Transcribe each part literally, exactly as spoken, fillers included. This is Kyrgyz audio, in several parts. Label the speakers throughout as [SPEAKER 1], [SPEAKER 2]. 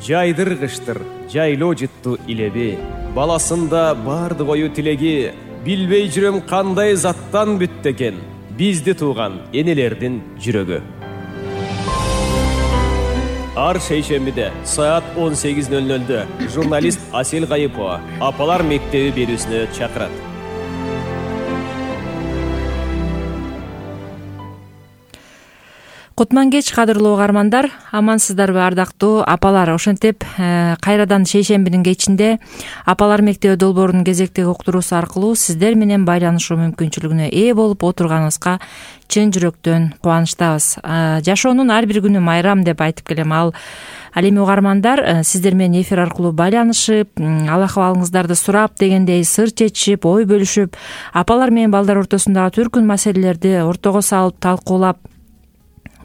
[SPEAKER 1] жайдыргыштыр жайлоо жыттуу илеби. Баласында бардык ою тилеги, билбей жүрөм кандай заттан бүттү экен бизди тууган энелердин жүрөгү. Ар шейшембиде саат он сегиз ноль нольдө журналист Асель Кайыпова апалар мектеби берүүсүнө чакырат.
[SPEAKER 2] Кутман кеч, кадырлуу угармандар, амансыздарбы ардактуу апалар? Ошентип кайрадан шейшембинин кечинде апалар мектеби долбоорунун кезектеги уктуруусу аркылуу сиздер менен байланышуу мүмкүнчүлүгүнө ээ болуп отурганыбызга чын жүрөктөн кубанычтабыз. Жашоонун ар бир күнү майрам деп айтып келем. Ал Ал эми угармандар сиздер менен эфир аркылуу байланышып, ал акыбалыңыздарды сурап дегендей сыр чечишип, ой бөлүшүп, апалар менен балдар ортосундагы түркүн маселелерди ортого салып талкуулап,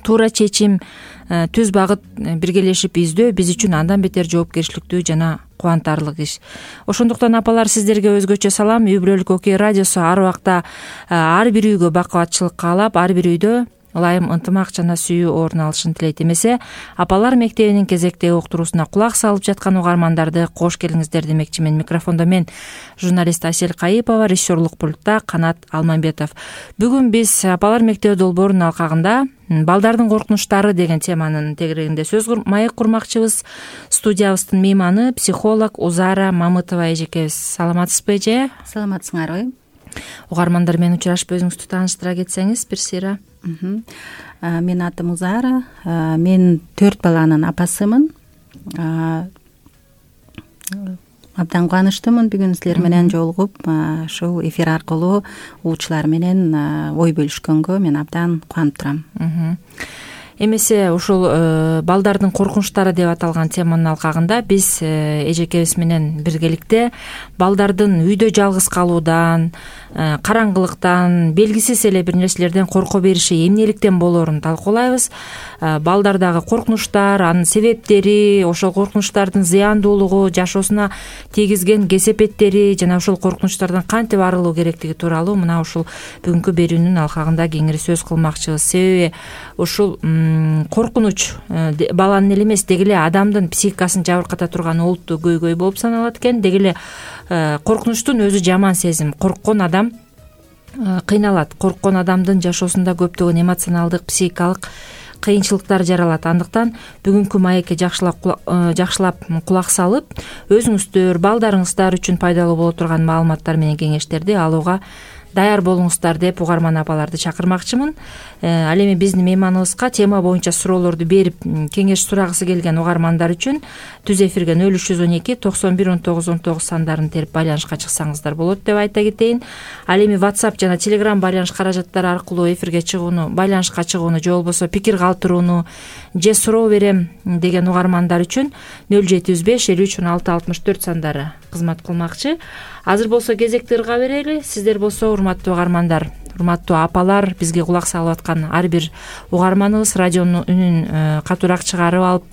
[SPEAKER 2] туура чечим, түз багыт биргелешип издөө биз үчүн андан бетер жоопкерчиликтүү жана кубантарлык иш. Ошондуктан апалар сиздерге өзгөчө салам. Үй бүлөлүк окуя радиосу ар убакта ар бир үйгө бакубатчылык каалап, ар бир үйдө ылайым, ынтымак жана сүйүү орун алышын тилейт. Эмесе апалар мектебинин кезектеги уктуруусуна кулак салып жаткан угармандарды кош келиңиздер демекчимин. Микрофондо мен журналист Асель Кайыпова, режиссерлук пультта Канат Алмамбетов. Бүгүн биз апалар мектеби долбоорунун алкагында балдардын коркунучтары деген теманын тегерегинде сөз маек курмакчыбыз. Студиябыздын мейманы психолог Узара Мамытова эжекебиз. Саламатсызбы эже?
[SPEAKER 3] Саламатсыңарбы?
[SPEAKER 2] Угармандар менен учурашып өзүңүздү тааныштыра кетсеңиз бир сыйра.
[SPEAKER 3] Менин атым Узара. Мен төрт баланын апасымын. Абдан кубанычтымын бүгүн силер менен жолугуп, ушул эфир аркылуу угуучулар менен ой бөлүшкөнгө мен абдан кубанып турам.
[SPEAKER 2] Эмесе ушул балдардын коркунучтары деп аталган теманын алкагында биз эжекебиз менен биргеликте балдардын үйдө жалгыз калуудан, караңгылыктан, белгисиз эле бир нерселерден корко бериши эмнеликтен болоорун талкуулайбыз. Балдардагы коркунучтар, анын себептери, ошол коркунучтардын зыяндуулугу, жашоосуна тийгизген кесепеттери жана ошол коркунучтардан кантип арылуу керектиги тууралуу мына ушул бүгүнкү берүүнүн алкагында кеңири сөз кылмакчыбыз. Себеби ушул коркунуч баланын эле эмес, деги эле адамдын психикасын жабырката турган олуттуу көйгөй болуп саналат экен. Деги эле коркунучтун өзү жаман сезим. Корккон адам кыйналат. Корккон адамдын жашоосунда көптөгөн эмоционалдык, психикалык кыйынчылыктар жаралат. Андыктан бүгүнкү маекке жакшылап жакшылап кулак салып, өзүңүздөр, балдарыңыздар үчүн пайдалуу боло турган маалыматтар менен кеңештерди алууга даяр болуңуздар деп угарман апаларды чакырмакчымын. Ал эми биздин мейманыбызга тема боюнча суроолорду берип, кеңеш сурагысы келген угармандар үчүн түз эфирге нөл үч жүз он эки токсон бир он тогуз он тогуз сандарын терип байланышка чыксаңыздар болот деп айта кетейин. Ал эми WhatsApp жана Telegram байланыш каражаттары аркылуу эфирге чыгууну, байланышка чыгууну же болбосо пикир калтырууну же суроо берем деген угармандар үчүн нөл жети жүз беш элүү үч он алты алтымыш төрт сандары кызмат кылмакчы. Азыр болсо кезекти ырга берели. Сиздер болсо урматтуу угармандар, урматтуу апалар, бизге кулак салып аткан ар бир угарманыбыз радионун үнүн катуураак чыгарып алып,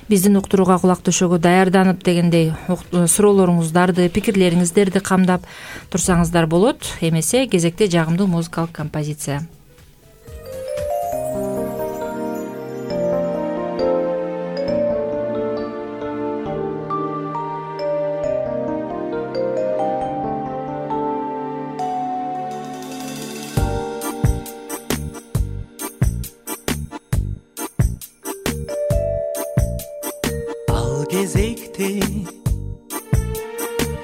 [SPEAKER 2] биздин уктурууга кулак төшөгө даярданып дегендей суроолоруңуздарды, пикирлериңиздерди камдап турсаңыздар болот. Эмесе кезекте жагымдуу музыкалык композиция.
[SPEAKER 4] Кезекте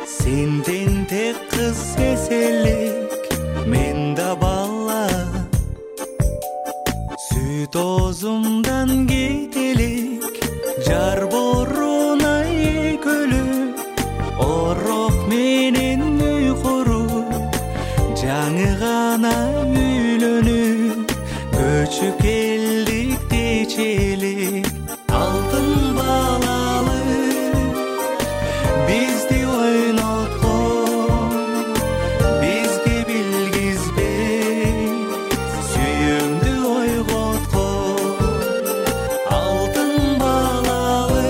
[SPEAKER 4] сенден тек кыз эселик, мен да бала сүт оозумдан кетелик, жар боруна экөлүп орок менен үй куруп, жаңы гана үйлөнүп көчүп келдик дечелик. Алтын балалы бизди ойноткон, бизге билгизбей сүйүүңдү ойготкон. Алтын балалы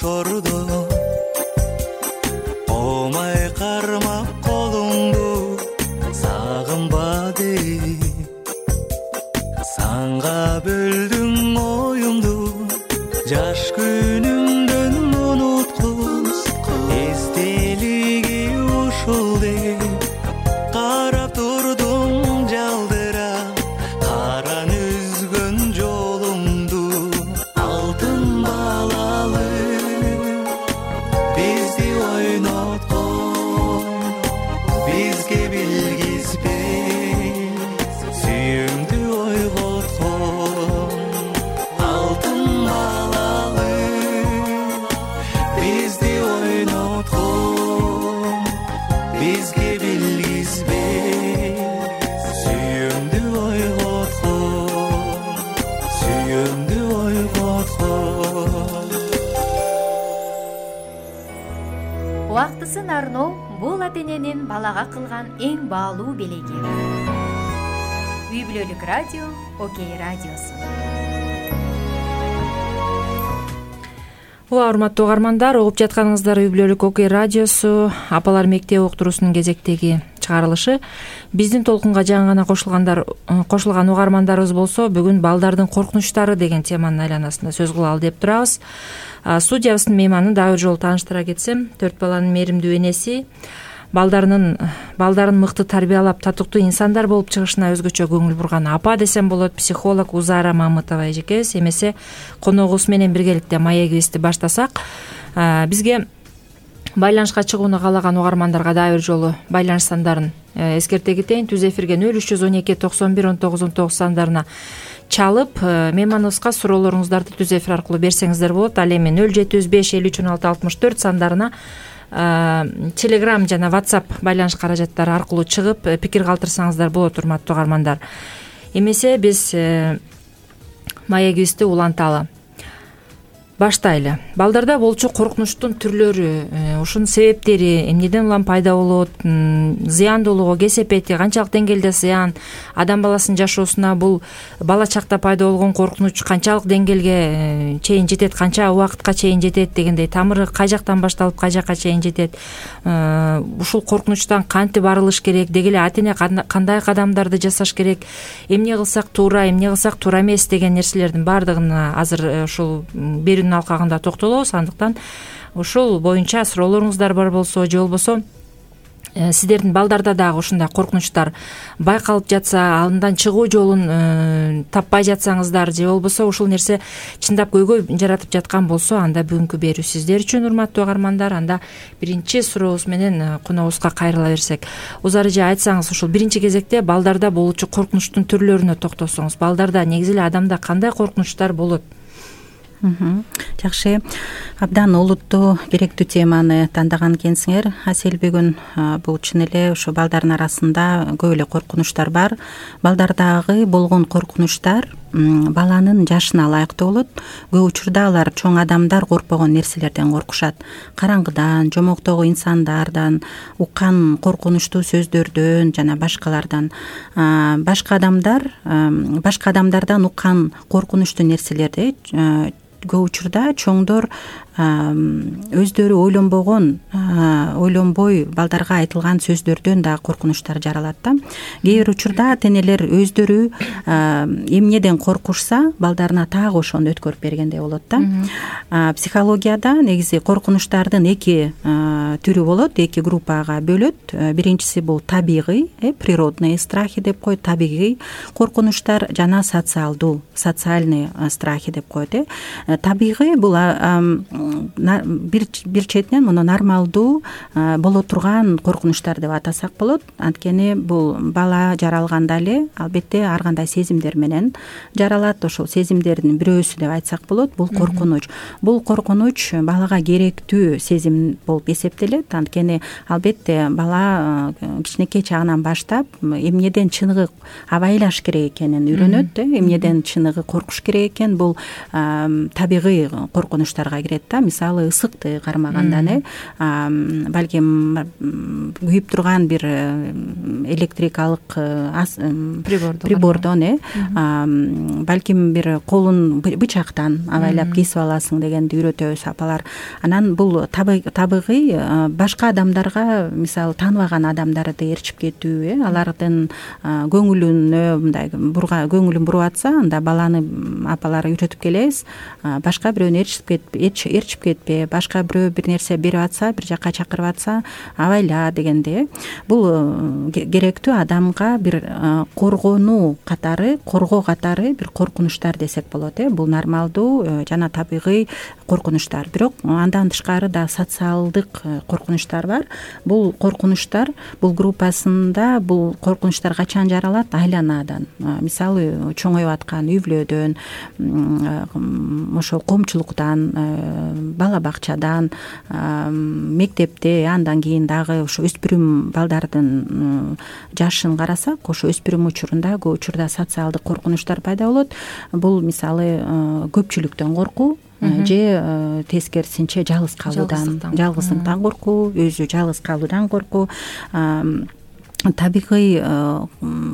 [SPEAKER 4] ошордо омай кармап колуңду сагынба дейт санга бөлдүң оюңду жаш күнүңдөн унуткуз эстелиги ушул деп карап турдум жалдырап каран үзгөн жолуңду алтын балалы бизди ойноткон бизге билгизбей сүйүүңдү ойготкон алтын балалы бизди ойноткон бизге билгизбей сүйүүңдү ойготкон сүйүүңдү ойготкон.
[SPEAKER 5] Убактысын арноо бул ата эненин балага кылган эң баалуу белеги. Үй бүлөлүк радио Окей радиосу.
[SPEAKER 2] Ооба, урматтуу угармандар, угуп жатканыңыздар Үй бүлөлүк Окей радиосу апалар мектеп уктуруусунун кезектеги чыгарылышы. Биздин толкунга жаңы гана кошулгандар кошулган угармандарыбыз болсо, бүгүн балдардын коркунучтары деген теманын айланасында сөз кылалы деп турабыз. Студиябыздын мейманын дагы бир жолу тааныштыра кетсем, төрт баланын мээримдүү энеси, балдарынын балдарын мыкты тарбиялап, татыктуу инсандар болуп чыгышына өзгөчө көңүл бурган апа десем болот, психолог Узара Мамытова эжекебиз. Эмесе коногубуз менен биргеликте Мая кебисти баштасак, бизге байланышка чыгууну каалаган угармандарга дагы бир жолу байланыш сандарын эскерте кетейин. Түз эфирге нөл үч жүз он эки токсон бир он тогуз он тогуз сандарына чалып, мейманыбызга суроолоруңуздарды түз эфир аркылуу берсеңиздер болот. Ал эми нөл жети жүз беш элүү үч он алты алтымыш төрт сандарына Telegram жана WhatsApp байланыш каражаттары аркылуу чыгып пикир калтырсаңыздар болот, урматтуу угармандар. Эмесе биз Мая кебисти уланталы. Баштайлы. Балдарда болчу коркунучтун түрлөрү, ушунун себептери, эмнеден улам пайда болот, зыяндуулугу, кесепети, канчалык деңгээлде зыян, адам баласынын жашоосуна бул бала чакта пайда болгон коркунуч канчалык деңгээлге чейин жетет, канча убакытка чейин жетет дегендей, тамыры кай жактан башталып кай жакка чейин жетет, ушул коркунучтан кантип арылыш керек, деги эле ата эне кандай кадамдарды жасаш керек, эмне кылсак туура, эмне кылсак туура эмес деген нерселердин баардыгына азыр ушул берүүнүн алкагында токтолобуз. Андыктан ушул боюнча суроолоруңуздар бар болсо, же болбосо сиздердин балдарда дагы ушундай коркунучтар байкалып жатса, андан чыгуу жолун таппай жатсаңыздар, же болбосо ушул нерсе чындап көйгөй жаратып жаткан болсо, анда бүгүнкү берүү сиздер үчүн, урматтуу угармандар. Анда биринчи сурообуз менен коногубузга кайрыла берсек, Узар эже, айтсаңыз, ушул биринчи кезекте балдарда болчу коркунучтун түрлөрүнө токтосоңуз. Балдарда негизи эле адамда кандай коркунучтар болот?
[SPEAKER 3] Жакшы, абдан олуттуу, керектүү теманы тандаган экенсиңер. Асел, бүгүн бул чын эле ушу балдардын арасында көп эле коркунучтар бар. Балдардагы болгон коркунучтар баланын жашына ылайыктуу болот. Көп учурда алар чоң адамдар коркпогон нерселерден коркушат. Караңгыдан, жомоктогу инсандардан, уккан коркунучтуу сөздөрдөн жана башкалардан. Башка адамдар, башка адамдардан уккан коркунучтуу нерселерди көп учурда чоңдор өздөрү ойлонбогон, ойлонбой балдарга айтылган сөздөрдөн да коркунучтар жаралат да. Кээ бир учурда ата энелер өздөрү эмнеден коркушса, балдарына так ошону өткөрүп бергендей болот да. Психологияда негизи коркунучтардын эки түрү болот, эки группага бөлөт. Биринчиси бул табигый, природный страхи деп коет, табигый коркунучтар, жана социалдуу, социальный страхи деп коет. Табигый бул бир бир четинен муну нормалдуу боло турган коркунучтар деп атасак болот. Анткени бул бала жаралганда эле албетте ар кандай сезимдер менен жаралат. Ошол сезимдердин бирөөсү деп айтсак болот, бул коркунуч. Бул коркунуч балага керектүү сезим болуп эсептелет. Анткени албетте бала кичинекей чагынан баштап эмнеден чыныгы абайлаш керек экенин үйрөнөт, эмнеден чыныгы коркуш керек экен. Бул табигый коркунучтарга кирет да. Мисалы ысыкты кармагандан э балким күйүп турган бир электрикалык прибордон э балким бир колун бычактан абайлап кесип аласың дегенди үйрөтөбүз апалар. Анан бул табигый башка адамдарга, мисалы тааныбаган адамдарды ээрчип кетүү э алардын көңүлүнө мындай бурга көңүлүн буруп атса, анда баланы апалар үйрөтүп келебиз. Башка бирөөнү ээрчип кетпе, ээрчип кетпе, башка бирөө бир нерсе берип атса, бир жакка чакырып атса, абайла дегенде. Бул керектүү адамга бир коргонуу катары, коргоо катары бир коркунучтар десек болот э. Бул нормалдуу жана табигый коркунучтар. Бирок андан тышкары да социалдык коркунучтар бар. Бул коркунучтар, бул группасында бул коркунучтар качан жаралат? Айланадан. Мисалы чоңоюп аткан үй бүлөдөн, ошо коомчулуктан, бала бакчадан, мектепте, андан кийин дагы ошо өспүрүм балдардын жашын карасак, ошо өспүрүм учурунда көп учурда социалдык коркунучтар пайда болот. Бул мисалы көпчүлүктөн коркуу же тескерисинче жалгыз калуудан, жалгыздыктан коркуу, өзү жалгыз калуудан коркуу. Табигый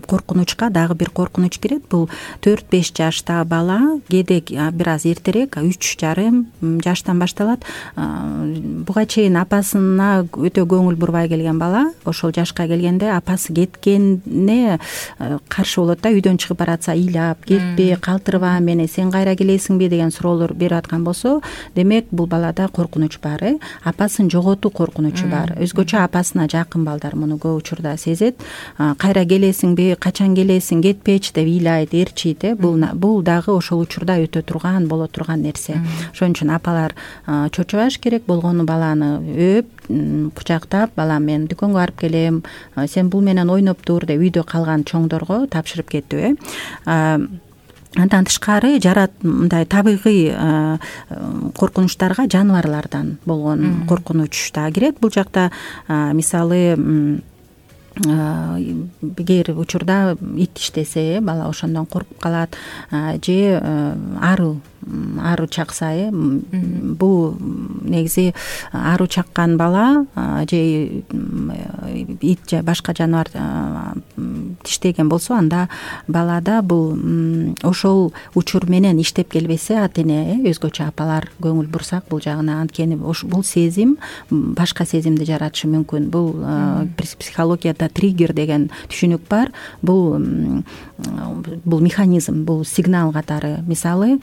[SPEAKER 3] коркунучка дагы бир коркунуч кирет. Бул төрт беш жаштагы бала, кээде бир аз эртерээк, үч жарым жаштан башталат. Буга чейин апасына өтө көңүл бурбай келген бала ошол жашка келгенде апасы кеткенине каршы болот да. Үйдөн чыгып баратса ыйлап, кетпе, калтырба мени, сен кайра келесиңби деген суроолор берип аткан болсо, демек бул балада коркунуч бар э. Апасын жоготуу коркунучу бар. Өзгөчө апасына жакын балдар муну көп учурда кайра келесиңби, качан келесиң, кетпечи деп ыйлайт, ээрчийт э. Бул бул дагы ошол учурда өтө турган, боло турган нерсе. Ошон үчүн апалар чочубаш керек, болгону баланы өп, кучактап, балам мен дүкөнгө барып келем, сен бул менен ойноп тур деп үйдө калган чоңдорго тапшырып кетүү э. Андан тышкары жарат мындай табигый коркунучтарга жаныбарлардан болгон коркунуч да кирет. Бул жакта мисалы эгер учурда ит иштесе, бала ошондон коркуп калат, же ару ару чакса э. Бул негизи ару чаккан бала же ит же башка жаныбар тиштеген болсо, анда балада бул ошол учур менен иштеп келбесе, ата-эне э, өзгөчө апалар көңүл бурсак бул жагына, анткени бул сезим башка сезимди жаратышы мүмкүн. Бул психологияда триггер деген түшүнүк бар. Бул бул механизм, бул сигнал катары. Мисалы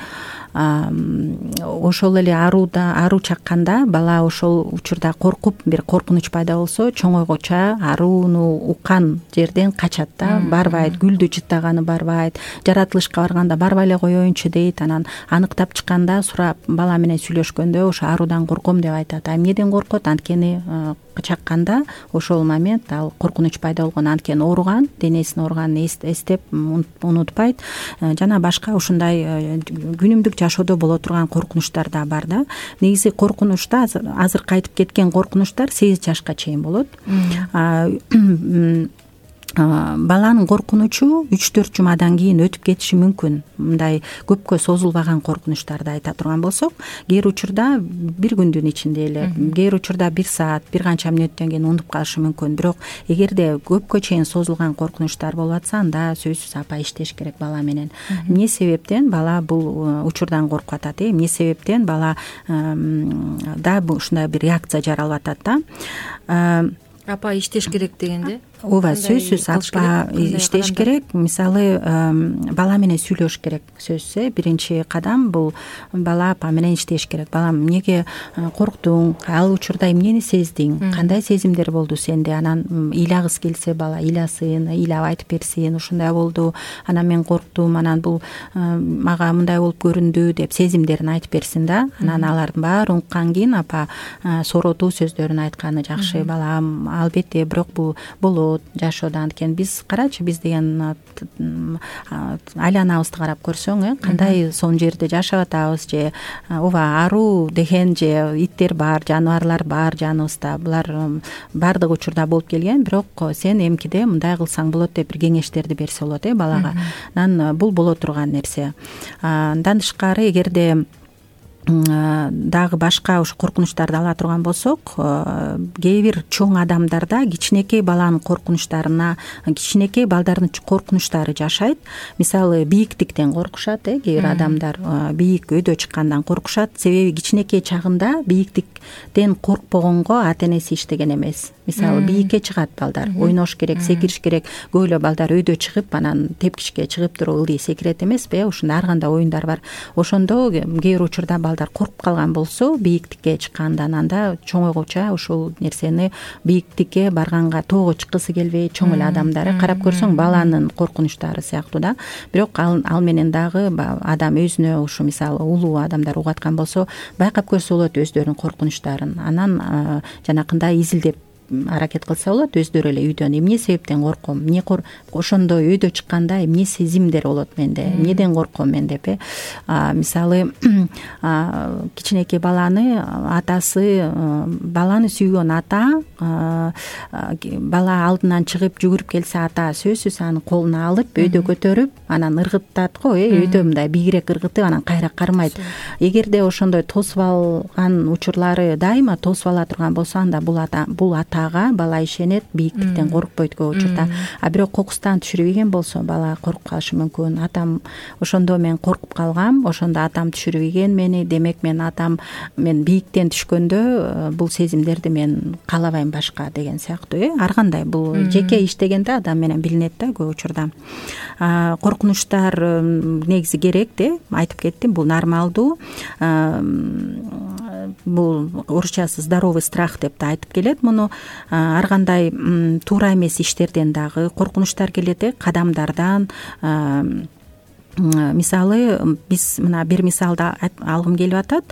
[SPEAKER 3] ошол эле аруда ару чакканда бала ошол учурда коркуп, бир коркунуч пайда болсо, чоңойгоча арууну уккан жерден качат да, барбайт, гүлдү жыттаганы барбайт, жаратылышка барганда барбай эле коеюнчу дейт. Анан аныктап чыкканда сурап, бала менен сүйлөшкөндө ошо арудан корком деп айтат. А эмнеден коркот? Анткени чакканда ошол момент ал коркунуч пайда болгон, анткени ооруган, денесин ооруганын эстеп унутпайт. Жана башка ушундай күнүмдүк жашоодо боло турган коркунучтар да бар да. Негизи коркунучта азыр кайтып кеткен коркунучтар сегиз жашка чейин болот. Баланын коркунучу үч төрт жумадан кийин өтүп кетиши мүмкүн. Мындай көпкө созулбаган коркунучтарды айта турган болсок, кээ учурда бир күндүн ичинде эле, кээ учурда бир саат, бир канча мүнөттөн кийин унутуп калышы мүмкүн. Бирок эгерде көпкө чейин созулган коркунучтар болуп атса, анда сөзсүз апа иштеш керек бала менен. Эмне себептен бала бул учурдан коркуп атат? Эмне себептен бала да ушундай бир реакция жаралып атат да?
[SPEAKER 2] Апа иштеш керек дегенде?
[SPEAKER 3] Ооба, сөзсүз апа иштеш керек. Мисалы бала менен сүйлөш керек. Сөзсүз биринчи кадам бул бала апа менен иштеш керек. Балам, эмнеге корктуң? Ал учурда эмнени сездиң? Кандай сезимдер болду сенде? Анан ыйлагыс келсе бала ыйласын, ыйлап айтып берсин. Ушундай болду, анан мен корктум, анан бул мага мындай болуп көрүндү деп сезимдерин айтып берсин да. Анан алардын баарын уккан кийин апа соротуу сөздөрүн айтканы жакшы. Балам, албетте, бирок бул болот жашоодо. Анткени биз карачы, биз деген айланабызды карап көрсөң, э, кандай сонун жерде жашап атабыз, же ооба аруу деген же иттер бар, жаныбарлар бар жаныбызда. Булар баардык учурда болуп келген, бирок сен эмкиде мындай кылсаң болот деп бир кеңештерди берсе болот э балага. Анан бул боло турган нерсе. Андан тышкары, эгерде дагы башка ушу коркунучтарды ала турган болсок, кээ бир чоң адамдарда кичинекей баланын коркунучтарына, кичинекей балдардын коркунучтары жашайт. Мисалы, бийиктиктен коркушат, э кээ бир адамдар бийик өйдө чыккандан коркушат. Себеби кичинекей чагында бийиктиктен коркпогонго ата энеси иштеген эмес. Мисалы, бийикке чыгат балдар, ойнош керек, секириш керек. Көп эле балдар өйдө чыгып, анан тепкичке чыгып туруп ылдый секирет эмеспи? Ушундай ар кандай оюндар бар. Ошондо кээ бир учурда балдар коркуп калган болсо, бийиктикке чыккандан анда чоңойгуча ушул нерсени бийиктикке барганга тоого чыккысы келбей, чоң эле адамдар карап көрсөң баланын коркунучтары сыяктуу да. Бирок ал, ал менен дагы адам өзүнө ушу мисалы улуу адамдар угаткан болсо, байкап көрсө болот өздөрүнүн коркунучтарын. Анан жанакындай изилдеп аракет кылса болот, өздөрү эле үйдөн эмне себептен корком, эмне ошондой өйдө чыкканда эмне сезимдер болот менде, эмнеден корком мен деп э мисалы кичинекей баланы атасы, баланы сүйгөн ата бала алдынан чыгып жүгүрүп келсе, ата сөзсүз анын колуна алып өйдө көтөрүп, анан ыргытат го, э өйдө мындай бийигирээк ыргытып, анан кайра кармайт. Эгерде ошондой тосуп алган учурлары дайыма тосуп ала турган болсо, анда бул ата бул атага бала ишенет, бийиктиктен коркпойт көп учурда. А бирок кокустан түшүрбөгөн болсо, бала коркуп калышы мүмкүн. Атам ошондо мен коркуп калгам, ошондо атам түшүрбөгөн мени, демек мен атам мен бийиктен түшкөндө бул сезимдерди мен каалабайм башка деген сыяктуу. э Ар кандай бул жеке иштегенде адам менен билинет да көп учурда. Коркунучтар негизи керек де, айтып кеттим, бул нормалдуу. Бул орусчасы здоровый страх деп да айтып келет. Муну ар кандай туура эмес иштерден дагы коркунучтар келет, э кадамдардан. Мисалы, биз мына бир мисалды алгым келип атат.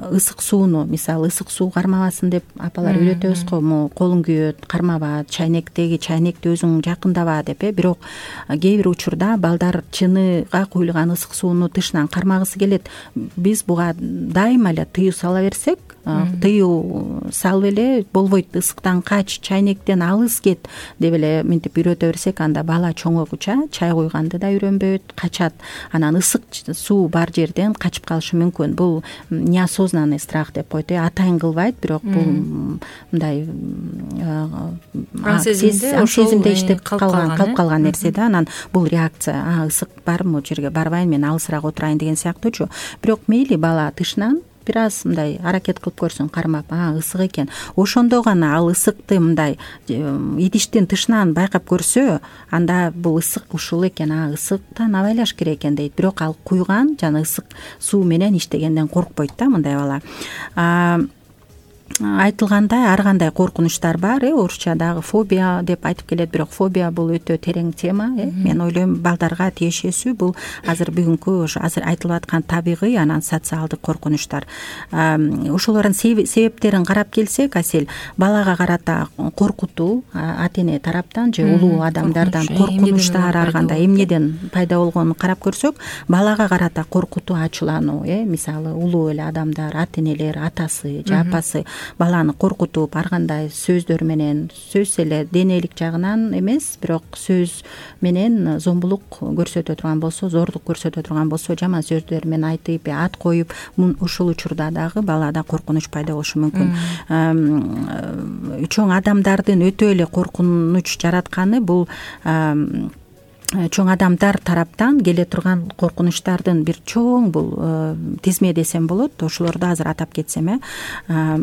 [SPEAKER 3] Ысык сууну, мисалы, ысык суу кармабасын деп апалар үйрөтөбүз го, му колуң күйөт, кармаба, чайнектеги чайнекти өзүң жакындаба деп э. Бирок кээ бир учурда балдар чыныга куюлган ысык сууну тышынан кармагысы келет. Биз буга дайыма эле тыюу сала берсек, тыюу салып эле болбойт, ысыктан кач, чайнектен алыс кет деп эле мынтип үйрөтө берсек, анда бала чоңойгуча чай куйганды да үйрөнбөйт, качат. Анан ысык суу бар жерден качып калышы мүмкүн. Бул неосознанный страх деп коет. Атайын кылбайт, бирок бул мындай сезимде иштеп калган, калып калган нерсе да. Анан бул реакция, а ысык барбы, могу жерге барбайын, мен алысыраак отурайын деген сыяктуучу. Бирок мейли бала тышынан бир аз мындай аракет кылып көрсүн, кармап, а ысык экен. Ошондо гана ал ысыкты мындай идиштин тышынан байкап көрсө, анда бул ысык ушул экен, а ысыктан абайлаш керек экен дейт. Бирок ал куйган жана ысык суу менен иштегенден коркпойт да мындай бала. Айтылгандай ар кандай коркунучтар бар, э орусчадагы фобия деп айтып келет, бирок фобия бул өтө терең тема, э мен ойлойм балдарга тиешесүү. Бул азыр бүгүнкү ошо азыр айтылып аткан табигый, анан социалдык коркунучтар. Ошолордун себептерин карап келсек, Асель, балага карата коркутуу ата эне тараптан же улуу адамдардан коркунучтар ар кандай эмнеден пайда болгонун карап көрсөк, балага карата коркутуу, ачуулануу, э мисалы улуу эле адамдар, ата энелер, атасы же апасы баланы коркутуп, ар кандай сөздөр менен, сөз эле денелик жагынан эмес, бирок сөз менен зомбулук көрсөтө турган болсо, зордук көрсөтө турган болсо, жаман сөздөр менен айтып, ат коюп, ушул учурда дагы балада коркунуч пайда болушу мүмкүн. Чоң адамдардын өтө эле коркунуч жаратканы бул чоң адамдар тараптан келе турган коркунучтардын бир чоң бул тизме десем болот. Ошолорду азыр атап кетсем, э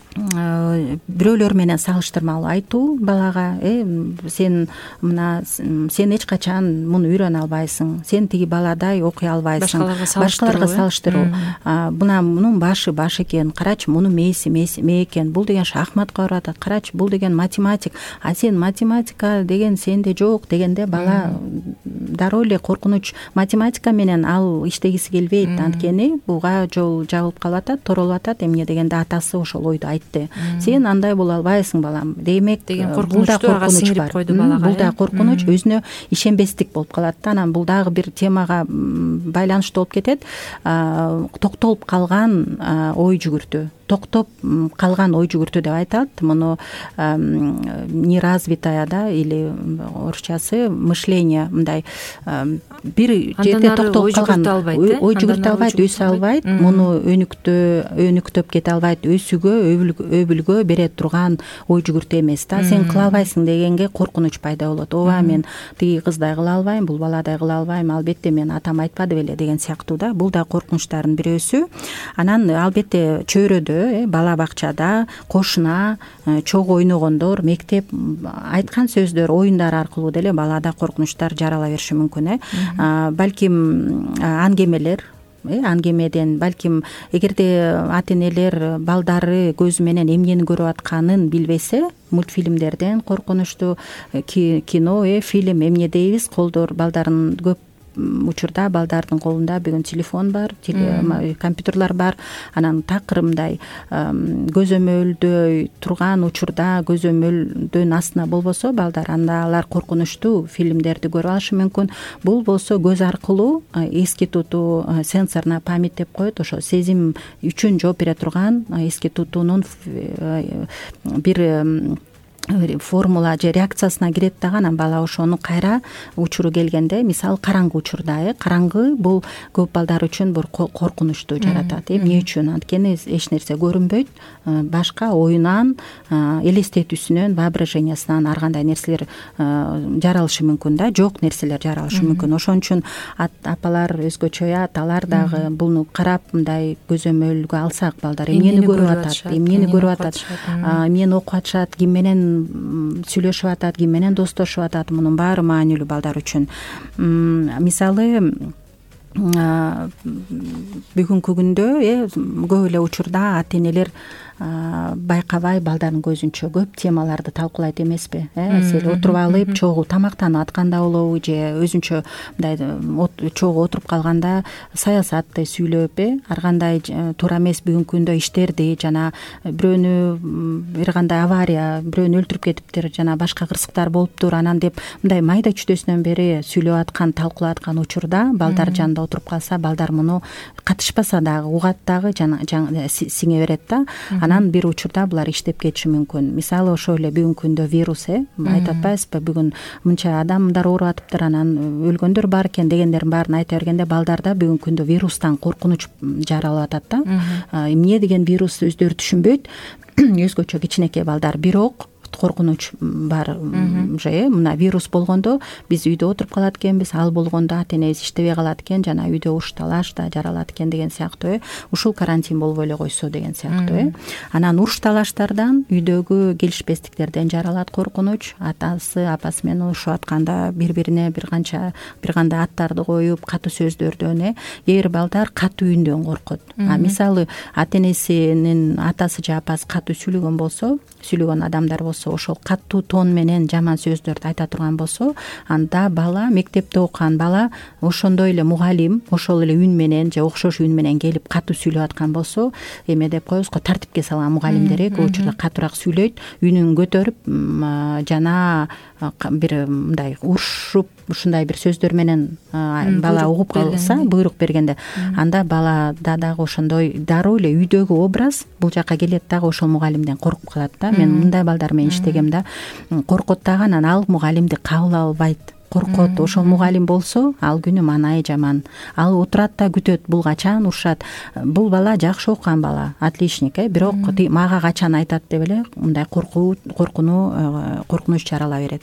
[SPEAKER 3] бирөөлөр менен салыштырмалуу айтуу балага, э сен мына сен эч качан муну үйрөнө албайсың, сен тиги баладай окуй албайсың, башкаларга салыштыруу. Мына мунун башы баш экен, карачы мунун мээси мээ экен, бул деген шахматка барып атат, карачы бул деген математик, а сен математика деген сенде жок дегенде бала дароо эле коркунуч, математика менен ал иштегиси келбейт, анткени буга жол жабылып калып атат, торолуп атат. Эмне дегенде атасы ошол ойду айтты. Сен андай боло албайсың балам, демек
[SPEAKER 2] деген коркунучту ага сиңирип койду балага.
[SPEAKER 3] Бул да коркунуч, өзүнө ишенбестик болуп калат да. Анан бул дагы бир темага байланыштуу болуп кетет. Токтолуп калган ой жүгүртүү. токтоп калган ой жүгүртүү деп айтат. Муну неразвитая да или орусчасы мышление мындай бир жерде токтоп калган ой жүгүртө албайт, өсө албайт, муну өнүктө өнүктөп кете албайт, өсүүгө өбүлгө бере турган ой жүгүртүү эмес да. Сен кыла албайсың дегенге коркунуч пайда болот. Ооба мен тиги кыздай кыла албайм, бул баладай кыла албайм, албетте мен атам айтпады беле деген сыяктуу да. Бул да коркунучтардын бирөөсү. Анан албетте чөйрөдө, бала бакчада, кошуна, чогуу ойногондор, мектеп айткан сөздөр, оюндар аркылуу деле балада коркунучтар жарала бериши мүмкүн. Э балким аңгемелер аңгемеден, балким эгерде ата энелер балдары көзү менен эмнени көрүп атканын билбесе, мультфильмдерден коркунучтуу кино, э фильм эмне дейбиз, колдор балдарын көп учурда балдардын колунда бүгүн телефон бар, компьютерлар бар. Анан такыр мындай көзөмөлдөй турган учурда көзөмөлдөн астына болбосо балдар, анда алар коркунучтуу фильмдерди көрүп алышы мүмкүн. Бул болсо көз аркылуу эске тутуу, сенсорная память деп коет, ошо сезим үчүн жооп бере турган эске тутуунун бир формула же реакциясына кирет дагы. Анан бала ошону кайра учуру келгенде, мисалы караңгы учурда, э караңгы бул көп балдар үчүн бир коркунучтуу жаратат. Эмне үчүн? Анткени эч нерсе көрүнбөйт, башка оюнан, элестетүүсүнөн, воображениясынан ар кандай нерселер жаралышы мүмкүн да, жок нерселер жаралышы мүмкүн. Ошон үчүн апалар өзгөчө, аталар дагы буну карап мындай көзөмөлгө алсак, балдар эмнени көрүп атат, эмнени көрүп атат, эмнени окуп атышат, ким менен сүйлөшүп атат, ким менен достошуп атат, мунун баары маанилүү балдар үчүн. Мисалы бүгүнкү күндө э көп эле учурда ата энелер байкабай балдардын көзүнчө көп темаларды талкуулайт эмеспи? Э сел отуруп алып чогуу тамактанып атканда болобу, же өзүнчө мындай чогуу отуруп калганда саясатты сүйлөп, э ар кандай туура эмес бүгүнкү күндө иштерди, жана бирөөнү бир кандай авария, бирөөнү өлтүрүп кетиптир, жана башка кырсыктар болуптур, анан деп мындай майда чүдөсүнөн бери сүйлөп аткан, талкуулап аткан учурда балдар жанында отуруп калса, балдар муну катышпаса дагы угат дагы, жана сиңе берет да. Анан бир учурда булар иштеп кетиши мүмкүн. Мисалы ошо эле бүгүнкү күндө вирус, э айтып атпайсызбы, бүгүн мынча адамдар ооруп атыптыр, анан өлгөндөр бар экен дегендердин баарын айта бергенде, балдарда бүгүнкү күндө вирустан коркунуч жаралып атат да. Эмне деген вирус өздөрү түшүнбөйт, өзгөчө кичинекей балдар, бирок коркунуч бар. Же мына вирус болгондо биз үйдө отуруп калат экенбиз, ал болгондо ата энебиз иштебей калат экен, жана үйдө уш талаш да жаралат экен деген сыяктуу, э ушул карантин болбой эле койсо деген сыяктуу, э анан уруш талаштардан, үйдөгү келишпестиктерден жаралат коркунуч. Атасы апасы менен урушуп атканда бири бирине бир канча бир кандай аттарды коюп, катуу сөздөрдөн, э кээ бир балдар катуу үндөн коркот. А мисалы ата энесинин атасы же апасы катуу сүйлөгөн болсо, сүйлөгөн адамдар болсо, ошол катуу тон менен жаман сөздөрдү айта турган болсо, анда бала, мектепте окуган бала ошондой эле мугалим ошол эле үн менен же окшош үн менен келип катуу сүйлөп аткан болсо, эме деп коебуз го, тартипке салган мугалимдер көп учурда катуураак сүйлөйт, үнүн көтөрүп, жана бир мындай урушуп, ушундай бир сөздөр менен бала угуп калса, буйрук бергенде, анда балада дагы ошондой дароо эле үйдөгү образ бул жака келет дагы, ошол мугалимден коркуп калат да. Мен мындай балдар менен иштегем да, коркот дагы, анан ал мугалимди кабыл албайт, коркот. Ошол мугалим болсо, ал күнү маанайы жаман. Ал отурат да күтөт, бул качан урушат. Бул бала жакшы окуган бала, отличник, э бирок мага качан айтат деп эле мындай коркуу, коркуну, коркунуч жарала берет.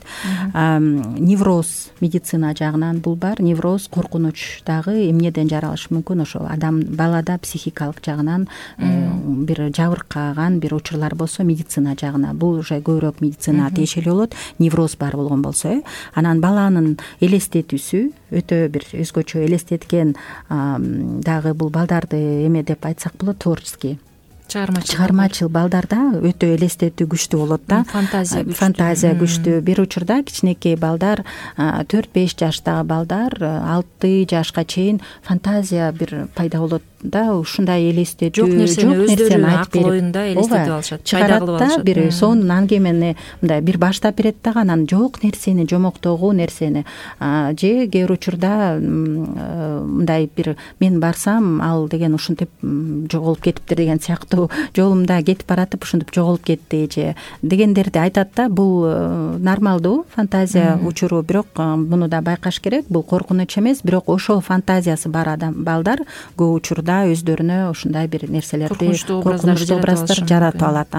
[SPEAKER 3] Невроз медицина жагынан бул бар. Невроз, коркунуч дагы эмнеден жаралышы мүмкүн? Ошол адам балада психикалык жагынан бир жабыркаган бир учурлар болсо, медицина жагына бул уже көбүрөөк медицина тиешелүү болот. Невроз бар болгон болсо, э анан баланын элестетүүсү өтө бир өзгөчө элестеткен дагы бул балдарды эме деп айтсак болот, творческий, чыгармачыл балдарда өтө элестетүү күчтүү болот да, фантазия фантазия күчтүү. Бир учурда кичинекей балдар, төрт беш жаштагы балдар алты жашка чейин фантазия бир пайда болот, да ушундай элестетүү
[SPEAKER 2] жок нерсени өздөрү
[SPEAKER 3] айтып
[SPEAKER 2] акыл оюнда элестетип алышат, пайда кылып алышат,
[SPEAKER 3] бир сонун аңгемени мындай бир баштап берет дагы анан жок нерсени жомоктогу нерсени же кээ бир учурда мындай бир мен барсам ал деген ушинтип жоголуп кетиптир деген сыяктуу жолумда кетип баратып ушинтип жоголуп кетти же дегендерди айтат да. Бул нормалдуу фантазия учуру, бирок муну да байкаш керек, бул коркунуч эмес, бирок ошол фантазиясы бар адам балдар көп учурда өздөрүнө ушундай бир нерселерди,
[SPEAKER 2] коркунучтуу
[SPEAKER 3] образдар жаратып алат.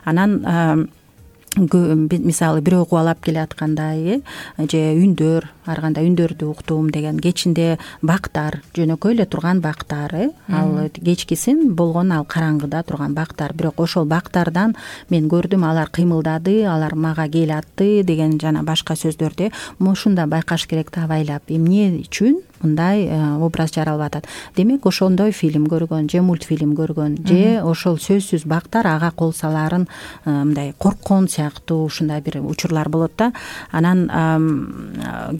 [SPEAKER 3] Анан мисалы бирөө кубалап келаткандай же үндөр, ар кандай үндөрдү уктум деген, кечинде бактар, жөнөкөй эле турган бактар, ал кечкисин болгон ал караңгыда турган бактар, бирок ошол бактардан мен көрдүм алар кыймылдады, алар мага кел атты деген жана башка сөздөрдү ушунда байкаш керек да, абайлап эмне үчүн мындай образ жаралып атат. Демек ошондой фильм көргөн же мультфильм көргөн же ошол сөзсүз бактар ага кол саларын мындай корккон сыяктуу ушундай бир учурлар болот да. Анан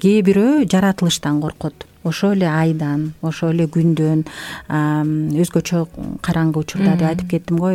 [SPEAKER 3] кээ бирөө жаратылыштан коркот, ошол эле айдан, ошол эле күндөн, өзгөчө караңгы учурда деп айтып кеттим го,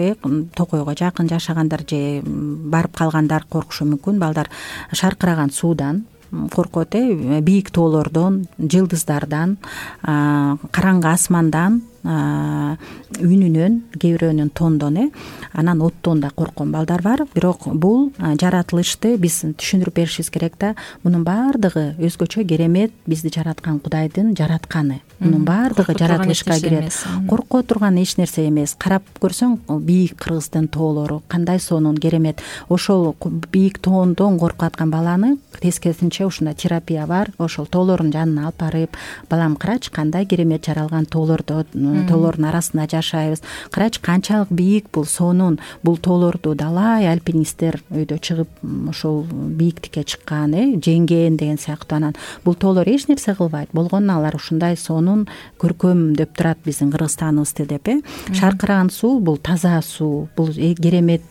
[SPEAKER 3] токойго жакын жашагандар же барып калгандар коркушу мүмкүн. Балдар шаркыраган суудан коркот, бийик тоолордон, жылдыздардан, караңгы асмандан, үнүнөн, кээ бирөөнүн тондон, э анан оттон да корккон балдар бар. Бирок бул жаратылышты биз түшүндүрүп беришибиз керек да. Мунун баардыгы өзгөчө керемет, бизди жараткан Кудайдын жаратканы. Мунун баардыгы жаратылышка кирет. Корко турган эч нерсе эмес. Карап көрсөң, бийик Кыргыздын тоолору кандай сонун, керемет. Ошол бийик тоондон коркуп аткан баланы тескерисинче ушундай терапия бар. Ошол тоолордун жанына алып барып, балам карачы кандай керемет жаралган тоолордо тоолордун арасында жашайбыз. Карачы канчалык бийик бул, сонун. Бул тоолорду далай альпинисттер өйдө чыгып ошол бийиктикке чыккан, э жеңген деген сыяктуу. Анан бул тоолор эч нерсе кылбайт. Болгону алар ушундай сонун көркөмдөп турат биздин Кыргызстаныбызды деп, э шаркыраган суу бул таза суу, бул керемет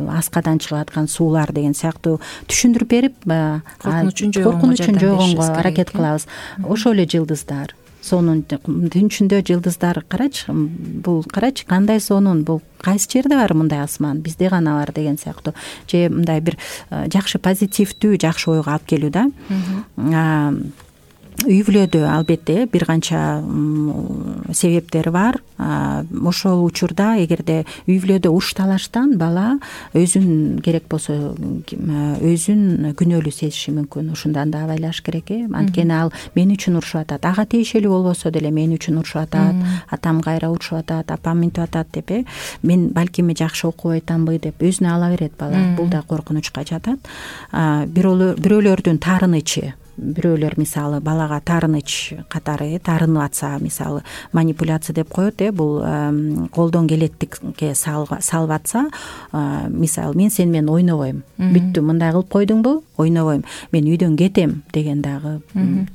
[SPEAKER 3] аскадан чыгып аткан суулар деген сыяктуу түшүндүрүп берип, коркунучун жойгонго аракет кылабыз. Ошол эле жылдыздар, сонун түн ичинде жылдыздар, карачы, бул карачы кандай сонун, бул кайсы жерде бар мындай асман, бизде гана бар деген сыяктуу. Же мындай бир жакшы позитивдүү, жакшы ойго алып келүү да. Үй бүлөдө албетте бир канча себептери бар. Ошол учурда эгерде үй бүлөдө уруш талаштан бала өзүн керек болсо өзүн күнөөлүү сезиши мүмкүн. Ушундан да абайлаш керек, э анткени ал мен үчүн урушуп атат, ага тиешелүү болбосо деле мен үчүн урушуп атат, атам кайра урушуп атат, апам мынтип атат деп, э мен балким жакшы окубай атамбы деп өзүнө ала берет бала. Бул да коркунучка жатат. Бирөөлөрдүн таарынычы, бирөөлөр мисалы балага таарыныч катары таарынып атса, мисалы манипуляция деп коет, э бул колдон келеттикке салып атса, мисалы мен сени менен ойнобойм, бүттү, мындай кылып койдуңбу, ойнобойм, мен үйдөн кетем деген дагы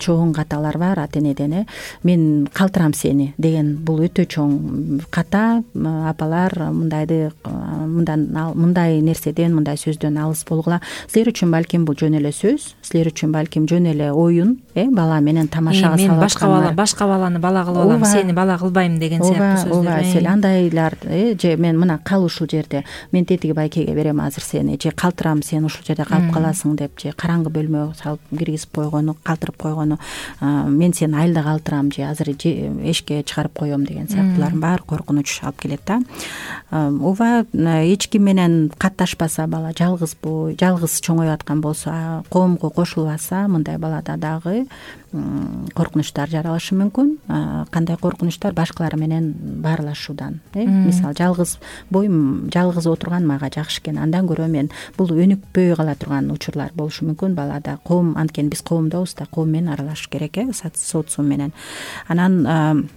[SPEAKER 3] чоң каталар бар ата энеден, э мен калтырам сени деген, бул өтө чоң ката. Апалар мындайды мындан мындай нерседен, мындай сөздөн алыс болгула. Силер үчүн балким бул жөн эле сөз, силер үчүн балким жөн эле оюн, э бала менен тамашага салып, мен башка бала башка баланы бала кылып алам, сени бала кылбайм деген сыяктуу сөздөр. Ооба, сен андайлар, э же мен мына кал ушул жерде, мен тетиги байкеге берем азыр сени, же калтырам, сен ушул жерде калып каласың деп, же караңгы бөлмөгө салып киргизип койгону, калтырып койгону, мен сени айылда калтырам, же азыр эшикке чыгарып коем деген сыяктуулардын баары коркунуч алып келет да. Ооба, эч ким менен катташпаса бала, жалгызбы, жалгыз чоңоюп аткан болсо, коомго кошулбаса, мындай балада дагы коркунучтар жаралышы мүмкүн. Кандай коркунучтар? Башкалар менен баарлашуудан, э мисалы жалгыз бойм, жалгыз отурган мага жакшы экен, андан көрө мен, бул өнүкпөй кала турган учурлар болушу мүмкүн балада. Коом, анткени биз коомдобуз да, коом менен аралашыш керек, э социум менен. Анан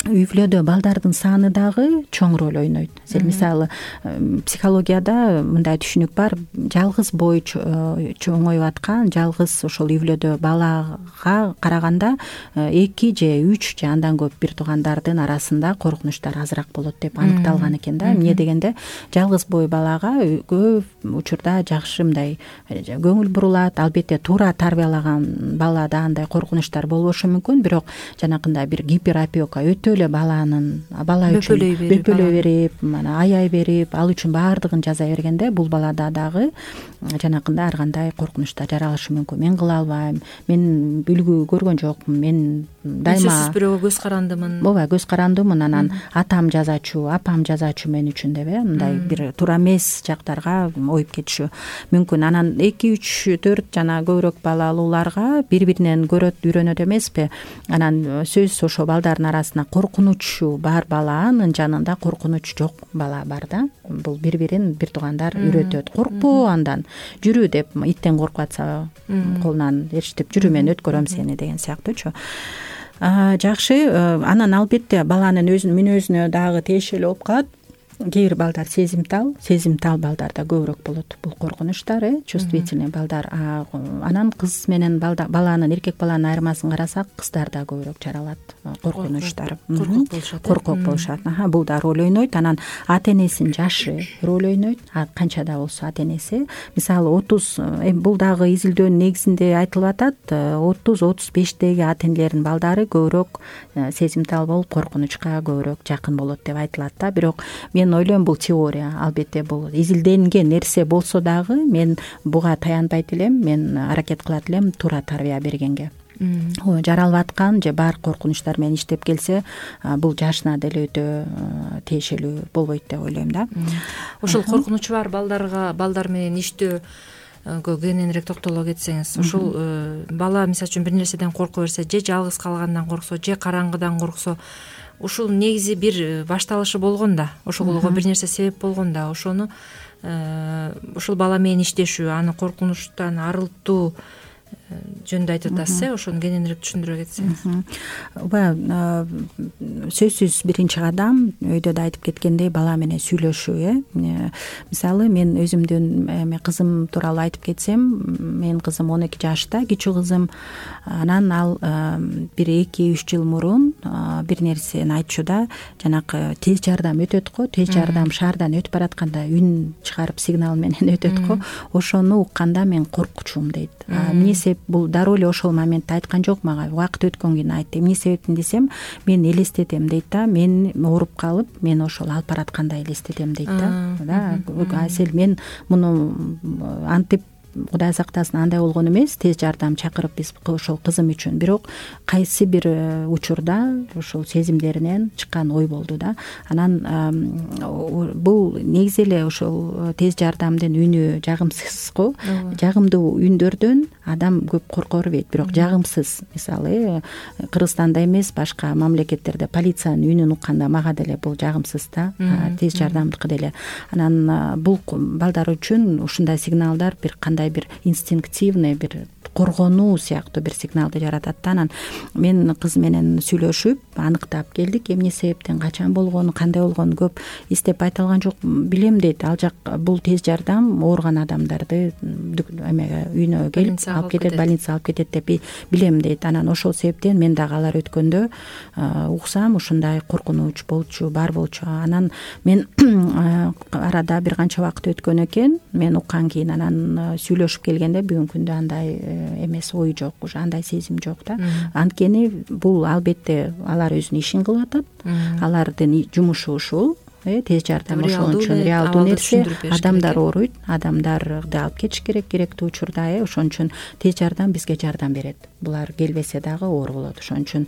[SPEAKER 3] үй бүлөдө балдардын саны дагы чоң роль ойнойт. Мисалы психологияда мындай түшүнүк бар, жалгыз бой чоңоюп аткан, жалгыз ошол үй бүлөдө балага караганда эки же үч же андан көп бир туугандардын арасында коркунучтар азыраак болот деп аныкталган экен да. Эмне дегенде, жалгыз бой балага көп учурда жакшы мындай көңүл бурулат. Албетте туура тарбиялаган балада андай коркунучтар болбошу мүмкүн, бирок жанакындай бир гиперопека, өтө эле баланын бала үчүн бөпөлөй берип мана аяй берип ал үчүн баардыгын жасай бергенде бул балада дагы жанакындай ар кандай коркунучтар жаралышы мүмкүн. Мен кыла албайм, мен үлгү көргөн жокмун, мен дайыма
[SPEAKER 2] сөзсүз бирөөгө көз карандымын.
[SPEAKER 3] ооба, көз карандымын. Анан атам жазачу, апам жазачу мен үчүн деп э мындай бир туура эмес жактарга оюп кетишү мүмкүн. Анан эки үч төрт жана көбүрөөк балалууларга бири биринен көрөт, үйрөнөт эмеспи? Анан сөзсүз ошо балдардын арасына коркунучу бар баланын жанында коркунуч жок бала бар да. Бул бири бирин бир туугандар үйрөтөт. Коркпо андан, жүрү деп, иттен коркуп атса колунан ээрчитип жүрү, мен өткөрөм сени деген сыяктуучу. Жакшы. Анан албетте баланын өзүнүн мүнөзүнө дагы тиешелүү болуп калат. Кээ бир балдар сезимтал, сезимтал балдарда көбүрөөк болот бул коркунучтар, э чувствительный балдар. Анан кыз менен баланын, эркек баланын айырмасын карасак, кыздарда көбүрөөк жаралат коркунучтар.
[SPEAKER 2] Коркок болушат.
[SPEAKER 3] Коркок болушат. Бул да роль ойнойт. Анан ата энесинин жашы роль ойнойт. Канча да болсо ата энеси, мисалы отуз, бул дагы изилдөөнүн негизинде айтылып атат, отуз отуз бештеги ата энелердин балдары көбүрөөк сезимтал болуп коркунучка көбүрөөк жакын болот деп айтылат да. Бирок мен ойлойм бул теория. Албетте бул изилденген нерсе болсо дагы мен буга таянбайт элем. Мен аракет кылат элем туура тарбия бергенге. Жаралып аткан же бар коркунучтар менен иштеп келсе, бул жашына деле өтө тиешелүү болбойт деп ойлойм да.
[SPEAKER 2] Ошол коркунучу бар балдарга, балдар менен иштөө кененирээк токтоло кетсеңиз, ушул бала мисалы үчүн бир нерседен корко берсе, же жалгыз калгандан корксо, же караңгыдан корксо, ушул негизи бир башталышы болгон да, ошого бир нерсе себеп болгон да. Ошону ушул бала менен иштешүү, аны коркунучтан арылтуу жөнүндө айтып атасыз, э ошону кененирээк түшүндүрө кетсеңиз.
[SPEAKER 3] Ооба, сөзсүз биринчи кадам өйдө да айтып кеткендей бала менен сүйлөшүү, э мисалы мен өзүмдүн эме кызым тууралуу айтып кетсем, менин кызым он эки жашта, кичүү кызым. Анан ал бир эки үч жыл мурун бир нерсени айтчу да, жанакы тез жардам өтөт го, тез жардам шаардан өтүп баратканда үн чыгарып сигнал менен өтөт го, ошону укканда мен коркучумун дейт. Эмне себеп? Бул дароо эле ошол моментте айткан жок мага, убакыт өткөн кийин айтты. Эмне себептен десем, мен элестетем дейт да, мен ооруп калып, мен ошол алып бараткандай элестетем дейт да. Да, асел мен муну антип Кудай сактасын андай болгон эмес, тез жардам чакырып биз ошол кызым үчүн. Бирок кайсы бир учурда ошол сезимдеринен чыккан ой болду да. Анан бул негизи эле ошол тез жардамдын үнү жагымсыз го. Жагымдуу үндөрдөн адам көп корко бербейт, бирок жагымсыз, мисалы Кыргызстанда эмес, башка мамлекеттерде полициянын үнүн укканда мага деле бул жагымсыз да, тез жардамдыкы деле. Анан бул балдар үчүн ушундай сигналдар бир кандай бир инстинктивный бир коргонуу сыяктуу бир сигналды жаратат да. Анан мен кыз менен сүйлөшүп аныктап келдик, эмне себептен, качан болгону, кандай болгону көп издеп айта алган жок. Билем дейт, ал жак бул тез жардам ооруган адамдарды эмеге үйүнө келип алып кетет, больницага алып кетет деп билем дейт. Анан ошол себептен мен дагы алар өткөндө уксам ушундай коркунуч болчу, бар болчу. Анан мен арада бир канча убакыт өткөн экен, мен уккан кийин анан сүйлөшүп келгенде бүгүнкү күндө андай эмес, ой жок, уже андай сезим жок да. Анткени бул албетте алар өзүнүн ишин кылып атат, алардын жумушу ушул. Тез жардам ошон үчүн реалдуу нерсе. Адамдар ооруйт, адамдарды алып кетиш керек керектүү учурда. Ошон үчүн тез жардам бизге жардам берет. Булар келбесе дагы оор болот. Ошон үчүн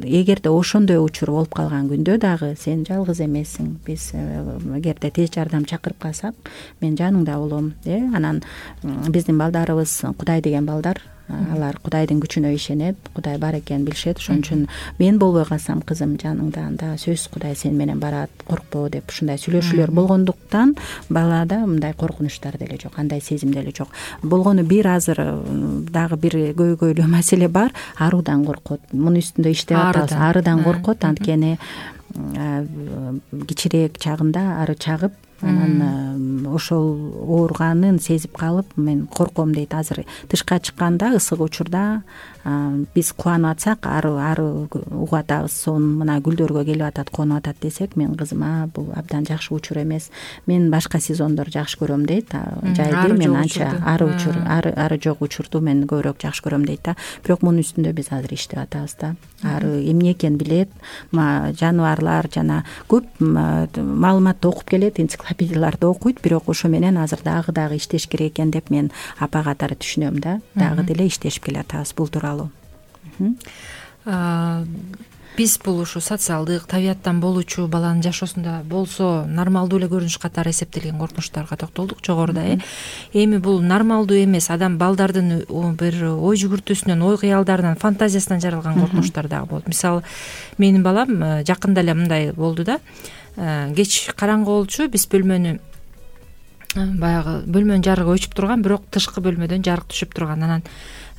[SPEAKER 3] эгерде ошондой учур болуп калган күндө дагы сен жалгыз эмессиң. Биз эгерде тез жардам чакырып калсак, мен жаныңда болом. Анан биздин балдарыбыз Кудай деген балдар. Алар Кудайдын күчүнө ишенет, Кудай бар экенин билишет. Ошон үчүн мен болбой калсам, кызым жаныңда, анда сөзсүз Кудай сен менен барат, коркпо деп ушундай сүйлөшүүлөр болгондуктан балада мындай коркунучтар деле жок, андай сезим деле жок. Болгону бир азыр дагы бир көйгөйлүү маселе бар, аруудан коркот. Мунун үстүндө иштеп атабыз. Арыдан коркот, анткени кичирээк чагында ары чагып анан ошол ооруганын сезип калып мен корком дейт. Азыр тышка чыкканда ысык учурда биз кубанып атсак ары ары угуп атабыз. Сонун мына гүлдөргө келип атат, конуп атат десек, мен кызыма бул абдан жакшы учур эмес, мен башка сезондор жакшы көрөм дейт. Жайды мен анча ары учур ары ары жок учурду мен көбүрөөк жакшы көрөм дейт да. Бирок мунун үстүндө биз азыр иштеп атабыз да. Ары эмне экенин билет, жаныбарлар жана көп маалыматты окуп келет, энциклопедияларды окуйт, бирок ошо менен азыр дагы дагы иштеш керек экен деп мен апа катары түшүнөм да. Дагы деле иштешип келатабыз бул тууралуу.
[SPEAKER 2] Биз бул ушу социалдык табияттан болуучу баланын жашоосунда болсо нормалдуу эле көрүнүш катары эсептелген коркунучтарга токтолдук жогоруда. э Эми бул нормалдуу эмес, адам балдардын бир ой жүгүртүүсүнөн, ой кыялдарынан, фантазиясынан жаралган коркунучтар дагы болот. Мисалы, менин балам жакында эле мындай болду да. Кеч караңгы болчу, биз бөлмөнү баягы бөлмөнүн жарыгы өчүп турган, бирок тышкы бөлмөдөн жарык түшүп турган. Анан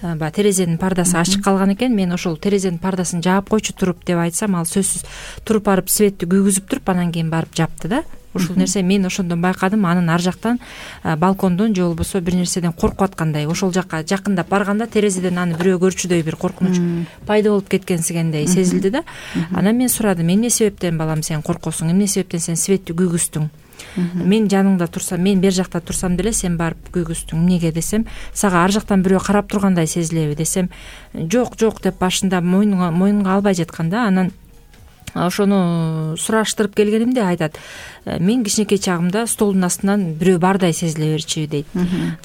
[SPEAKER 2] баягы терезенин пардасы ачык калган экен. Мен ошол терезенин пардасын жаап койчу туруп деп айтсам, ал сөзсүз туруп барып светти күйгүзүп туруп, анан кийин барып жапты да. Ушул нерсе мен ошондон байкадым, анын ар жактан балкондон же болбосо бир нерседен коркуп аткандай. Ошол жакка жакындап барганда терезеден аны бирөө көрчүдөй бир коркунуч пайда болуп кеткенсигендей сезилди да. Анан мен сурадым, эмне себептен балам сен коркосуң, эмне себептен сен светти күйгүздүң? Мен жаныңда турсам, мен бер жакта турсам деле сен барып күйгүздүң. Эмнеге десем, сага ар жактан бирөө карап тургандай сезилеби десем, жок жок деп башында мойнуна мойнунга албай жаткан да. Анан ошону сураштырып келгенимде айтат, мен кичинекей чагымда столдун астынан бирөө бардай сезиле берчү дейт.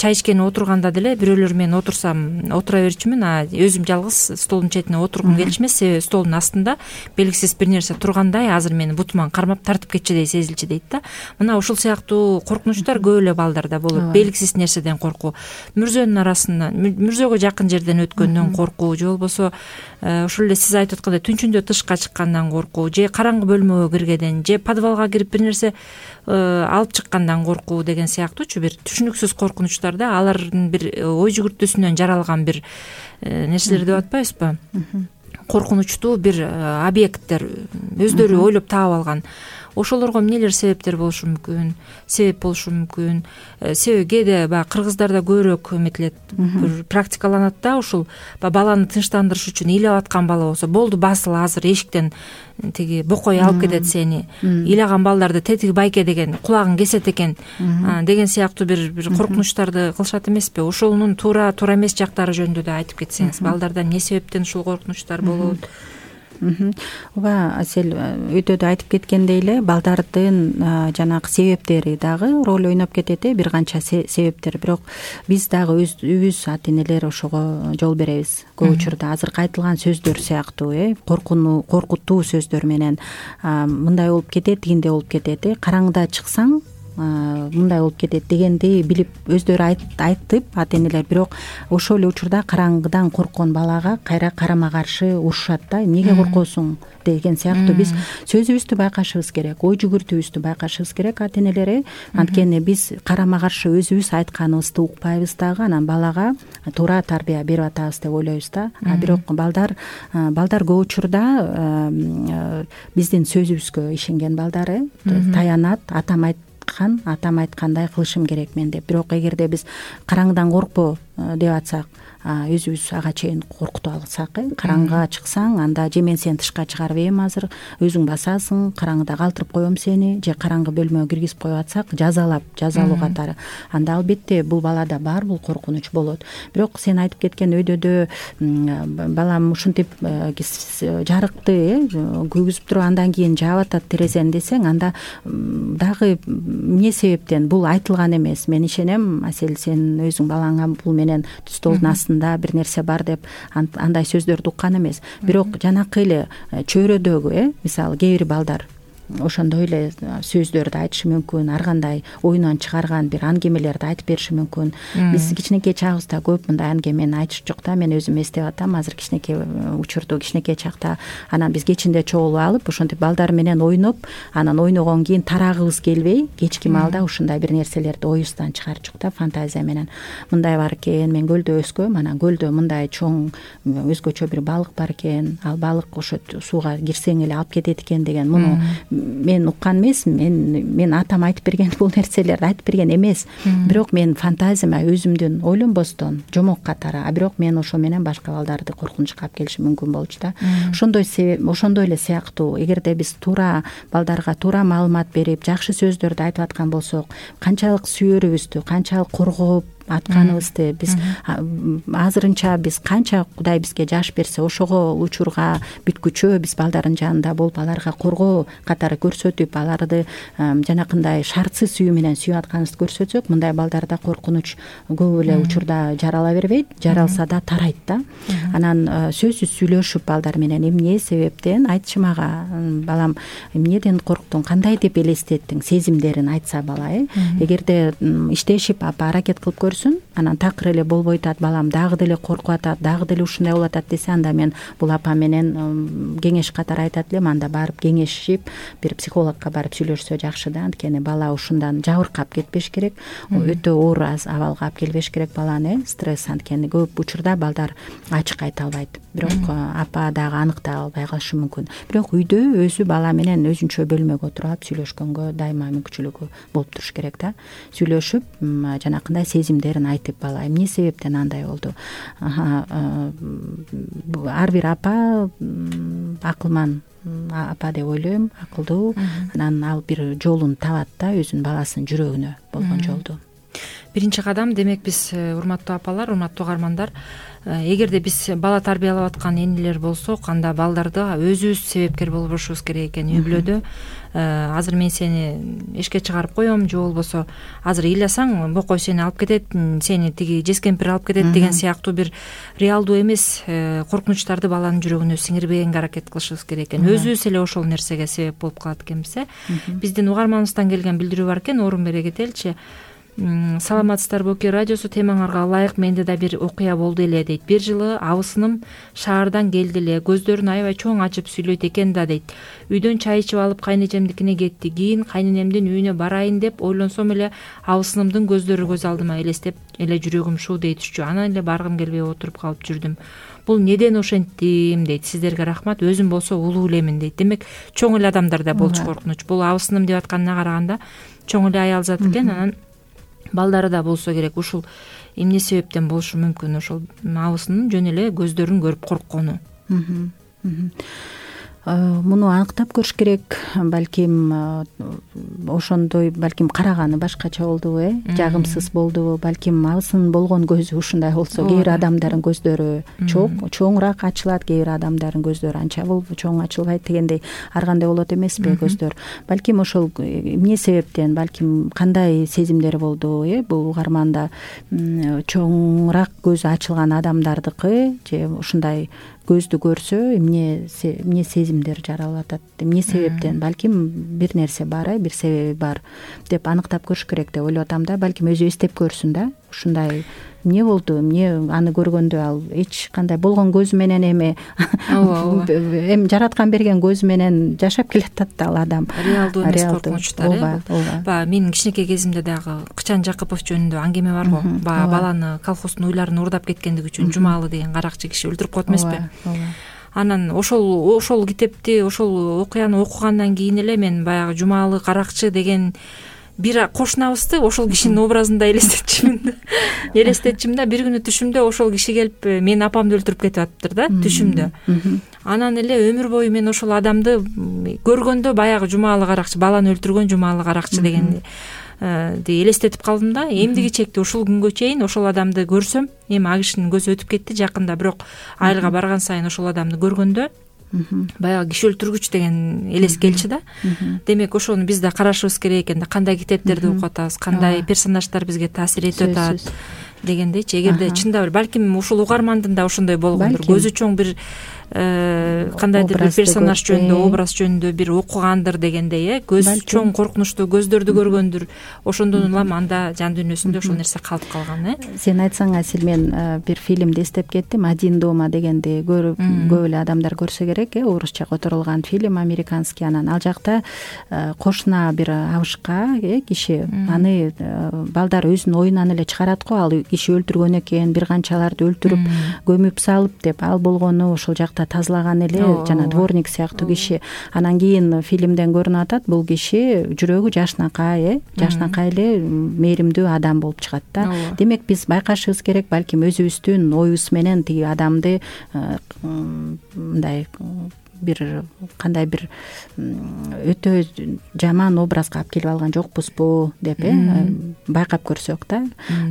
[SPEAKER 2] Чай ичкени отурганда деле бирөөлөр менен отурсам отура берчүмүн, а өзүм жалгыз столдун четине отургум келчү эмес, себеби столдун астында белгисиз бир нерсе тургандай, азыр мени бутуман кармап тартып кетчүдөй сезилчү дейт да. Мына ушул сыяктуу коркунучтар көп эле балдарда болот. Белгисиз нерседен коркуу, мүрзөнүн арасынан, мүрзөгө жакын жерден өткөндөн коркуу, же болбосо ошол эле сиз айтып аткандай түнчүндө тышка чыккандан коркуу, же караңгы бөлмөгө киргенден, же подвалга кирип бир нерсе алып чыккандан коркуу деген сыяктуучу бир түшүнүксүз коркунучтарда алардын бир ой жүгүртүүсүнөн жаралган бир нерселер деп атпайбызбы? Коркунучтуу бир объекттер өздөрү ойлоп таап алган. Ошолорго эмнелер себептер болушу мүмкүн, себеп болушу мүмкүн. Себеби кээде баягы кыргыздарда көбүрөөк эметилет, бир практикаланат да, ушул баланы тынчтандырыш үчүн ыйлап аткан бала болсо, болду басыл, азыр эшиктен тиги бокой алып кетет сени. Ыйлаган балдарды тетиги байке деген, кулагын кесет экен деген сыяктуу бир бир коркунучтарды кылышат эмеспи? Ошонун туура туура эмес жактары жөнүндө да айтып кетсеңиз, балдарда эмне себептен ушул коркунучтар болот?
[SPEAKER 3] Ооба, Асель өтөдө айтып кеткендей эле, балдардын жанагы себептери дагы роль ойноп кетет э, бир канча себептер. Бирок биз дагы өзүбүз ата энелер ошого жол беребиз. Көп учурда азыркы айтылган сөздөр сыяктуу э, коркуну коркутуу сөздөр менен мындай болуп кетет, тигиндей болуп кетет э. Караңгыда чыксаң мындай болуп кетет дегенди билип өздөрү айтып ата энелер, бирок ошол эле учурда караңгыдан корккон балага кайра карама каршы урушат да. Эмнеге коркосуң деген сыяктуу биз сөзүбүздү байкашыбыз керек, ой жүгүртүүбүздү байкашыбыз керек ата энелер. Анткени биз карама каршы өзүбүз айтканыбызды укпайбыз дагы, анан балага туура тарбия берип атабыз деп ойлойбуз да. А бирок балдар балдар көп учурда биздин сөзүбүзгө ишенген балдар таянат, атам айт атам айткандай кылышым керек мен деп. Бирок эгерде биз караңгыдан коркпо деп атсак, өзүбүз ага чейин коркутуп алсак, караңгыга чыксаң, анда же мен сени тышка чыгарып ийем, азыр өзүң басасың, караңгыда калтырып коем сени, же караңгы бөлмөгө киргизип коюп атсак, жазалап, жазалоо катары, анда албетте бул балада бар бул коркунуч болот. Бирок сен айтып кеткен өйдөдө балам ушинтип жарыкты күйгүзүп туруп андан кийин жаап атат терезени десең, анда дагы эмне себептен бул айтылган эмес. Мен ишенем, Асель, сен өзүң балаңа бул менен столдун астында бир нерсе бар деп андай сөздөрдү уккан эмес. Бирок жанакы эле чөйрөдөгү э мисалы кээ бир балдар ошондой эле сөздөрдү айтышы мүмкүн, ар кандай оюнан чыгарган бир аңгемелерди айтып бериши мүмкүн. Биз кичинекей чагыбызда көп мындай аңгемени айтышчук да. Мен өзүм эстеп атам, азыр кичинекей учурду кичинекей чакта анан биз кечинде чогулуп алып ошентип балдар менен ойноп, анан ойногондон кийин тарагыбыз келбей кечки маалда ушундай бир нерселерди оюбуздан чыгарчук да, фантазия менен. Мындай бар экен, мен көлдө өскөм, анан көлдө мындай чоң өзгөчө бир балык бар экен, ал балык ошо сууга кирсең эле алып кетет экен деген. Муну мен уккан эмесмин, мен мен атам айтып берген бул нерселерди айтып берген эмес. Бирок мен фантазияма өзүмдүн ойлонбостон жомок катары, а бирок мен ошо менен башка балдарды коркунучка алып келишим мүмкүн болчу да. Ошондой ошондой эле сыяктуу эгерде биз туура балдарга туура маалымат берип, жакшы сөздөрдү айтып аткан болсок, канчалык сүйөрүбүздү, канчалык коргоп атканыбызды биз азырынча биз канча Кудай бизге жаш берсе ошого учурга бүткүчө биз балдардын жанында болуп аларга коргоо катары көрсөтүп, аларды жанакындай шартсыз сүйүү менен сүйүп атканыбызды көрсөтсөк, мындай балдарда коркунуч көп эле учурда жарала бербейт, жаралса да тарайт да. Анан сөзсүз сүйлөшүп балдар менен эмне себептен айтчы мага, балам, эмнеден корктуң, кандай деп элестеттиң, сезимдерин айтса бала, э эгерде иштешип аракет кылып көрсө, анан такыр эле болбой атат, балам дагы деле коркуп атат, дагы деле ушундай болуп атат десе, анда мен бул апа менен кеңеш катары айтат элем, анда барып кеңешип бир психологко барып сүйлөшсө жакшы да. Анткени бала ушундан жабыркап кетпеш керек, өтө оор абалга алып келбеш керек баланы, стресс. Анткени көп учурда балдар ачык айта албайт, бирок апа дагы аныктай албай калышы мүмкүн. Бирок үйдө өзү бала менен өзүнчө бөлмөгө отуруп алып сүйлөшкөнгө дайыма мүмкүнчүлүгү болуп туруш керек да. Сүйлөшүп жанакындай сезимдерин айтып, бала эмне себептен андай болду, ар бир апа акылман апа деп ойлойм, акылдуу. Анан ал бир жолун табат да, өзүнүн баласынын жүрөгүнө болгон жолду.
[SPEAKER 2] Биринчи кадам, демек биз, урматтуу апалар, урматтуу угармандар, эгерде биз бала тарбиялап аткан энелер болсок, анда балдарды өзүбүз себепкер болбошубуз керек экен. Үй бүлөдө азыр мен сени эшикке чыгарып коем, же болбосо азыр ыйласаң бокой сени алып кетет, сени тиги жескемпир алып кетет деген сыяктуу бир реалдуу эмес коркунучтарды баланын жүрөгүнө сиңирбегенге аракет кылышыбыз керек экен. Өзүбүз эле ошол нерсеге себеп болуп калат экенбиз, э. Биздин угарманыбыздан келген билдирүү бар экен, орун бере кетеличи. Саламатсыздарбы, Окей радиосу темаңарга ылайык менде да бир окуя болду эле дейт. Бир жылы абысыным шаардан келди эле, көздөрүн аябай чоң ачып сүйлөйт экен да дейт. Үйдөн чай ичип алып кайнэжемдикине кетти. Кийин кайненемдин үйүнө барайын деп ойлонсом эле абысынымдын көздөрү көз алдыма элестеп эле жүрөгүм шууд этишчү. Анан эле баргым келбей отуруп калып жүрдүм. Бул неден ошентим дейт. Сиздерге рахмат, өзүм болсо улуу элемин дейт. Демек чоң эле адамдарда болчу коркунуч. Бул абысыным деп атканына караганда чоң эле аял зат экен. Анан балдары да болсо керек. Ушул эмне себептен болушу мүмкүн, ошол абысынын жөн эле көздөрүн көрүп корккону.
[SPEAKER 3] Муну аныктап көрүш керек. Балким ошондой, балким караганы башкача болдубу, э жагымсыз болдубу, балким абысынын болгон көзү ушундай болсо. Кээ бир адамдардын көздөрү чоң чоңураак ачылат, кээ бир адамдардын көздөрү анча болуп чоң ачылбайт дегендей. Ар кандай болот эмеспи көздөр. Балким ошол эмне себептен, балким кандай сезимдер болду, э бул угарманда чоңураак көзү ачылган адамдардыкы же ушундай көздү көрсө эмне эмне сезимдер жаралып атат, эмне себептен, балким бир нерсе бар, э бир себеби бар деп аныктап көрүш керек деп ойлоп атам да. Балким өзү эстеп көрсүн да, ушундай эмне болду, эмне аны көргөндө ал эч кандай болгон көзү менен эми эми жараткан берген көзү менен жашап келатат да ал адам.
[SPEAKER 2] Реалдуу эмес коркунучтар, э. Баягы менин кичинекей кезимде дагы Кычан Жакыпов жөнүндө аңгеме бар го. Баягы баланы колхоздун уйларын уурдап кеткендиги үчүн Жумалы деген каракчы киши өлтүрүп коет эмеспи? Анан ошол ошол китепти, ошол окуяны окугандан кийин эле мен баягы Жумалы каракчы деген бир кошунабызды ошол кишинин образында элестетчүмүн. Элестетчүмүн да, бир күнү түшүмдө ошол киши келип менин апамды өлтүрүп кетип атыптыр да, түшүмдө. Анан эле өмүр бою мен ошол адамды көргөндө баягы Жумалы каракчы, баланы өлтүргөн Жумалы каракчы дегенди элестетип калдым да. Эмдиги чекти ушул күнгө чейин ошол адамды көрсөм, эми а кишинин көзү өтүп кетти жакында, бирок айылга барган сайын ошол адамды көргөндө баягы киши өлтүргүч деген элес келчү да. Демек ошону биз да карашыбыз керек экен да, кандай китептерди окуп атабыз, кандай персонаждар бизге таасир этип атат дегендейчи. Эгерде чындап эле балким ушул угармандын да ошондой болгондур, көзү чоң бир кандайдыр бир персонаж жөнүндө, образ жөнүндө бир окугандыр дегендей, э көз чоң коркунучтуу көздөрдү көргөндүр, ошондон улам анда жан дүйнөсүндө ошол нерсе калып калган. э
[SPEAKER 3] Сен айтсаң, Асел, мен бир фильмди эстеп кеттим, «Один дома» дегенди көрүп көп эле адамдар көрсө керек, э орусча которулган фильм, американский. Анан ал жакта кошуна бир абышка э киши, аны балдар өзүнүн оюнан эле чыгарат го, ал киши өлтүргөн экен, бир канчаларды өлтүрүп көмүп салып деп, ал болгону ошол жакта тазалаган эле жана дворник сыяктуу киши. Анан кийин фильмден көрүнүп атат, бул киши жүрөгү жашынакай, э жашынакай эле мээримдүү адам болуп чыгат да. Демек биз байкашыбыз керек, балким өзүбүздүн оюбуз менен тиги адамды мындай бир кандай бир өтө жаман образга алып келип алган жокпузбу деп э байкап көрсөк да.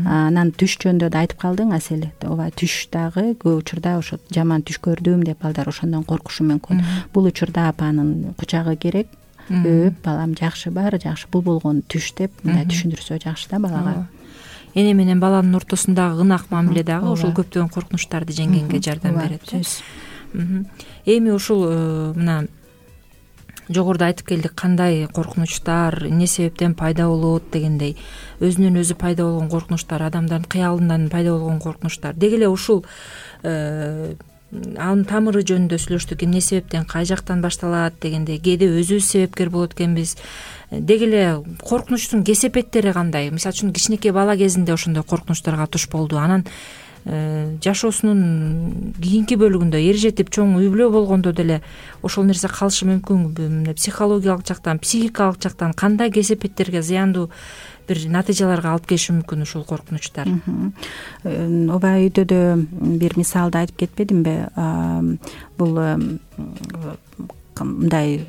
[SPEAKER 3] Анан түш жөнүндө да айтып калдың, Асел. Ооба, түш дагы көп учурда ошо жаман түш көрдүм деп балдар ошондон коркушу мүмкүн. Бул учурда апанын кучагы керек, өп, балам жакшы, баары жакшы, бул болгон түш деп мындай түшүндүрсө жакшы да балага.
[SPEAKER 2] Эне менен баланын ортосундагы ынак мамиле дагы ошол көптөгөн коркунучтарды жеңгенге жардам берет. Эми ушул мына жогоруда айтып келдик, кандай коркунучтар эмне себептен пайда болот дегендей, өзүнөн өзү пайда болгон коркунучтар, адамдардын кыялынан пайда болгон коркунучтар. Деги эле ушул анын тамыры жөнүндө сүйлөштүк, эмне себептен, кай жактан башталат дегендей, кээде өзүбүз себепкер болот экенбиз. Деги эле коркунучтун кесепеттери кандай? Мисалы үчүн кичинекей бала кезинде ошондой коркунучтарга туш болду, анан жашоосунун кийинки бөлүгүндө эр жетип чоң үй бүлө болгондо деле ошол нерсе калышы мүмкүнбү? Психологиялык жактан, психикалык жактан кандай кесепеттерге, зыяндуу бир натыйжаларга алып келиши мүмкүн ушул коркунучтар?
[SPEAKER 3] Ооба, үйдө бир мисалды айтып кетпедимби? Бул мындай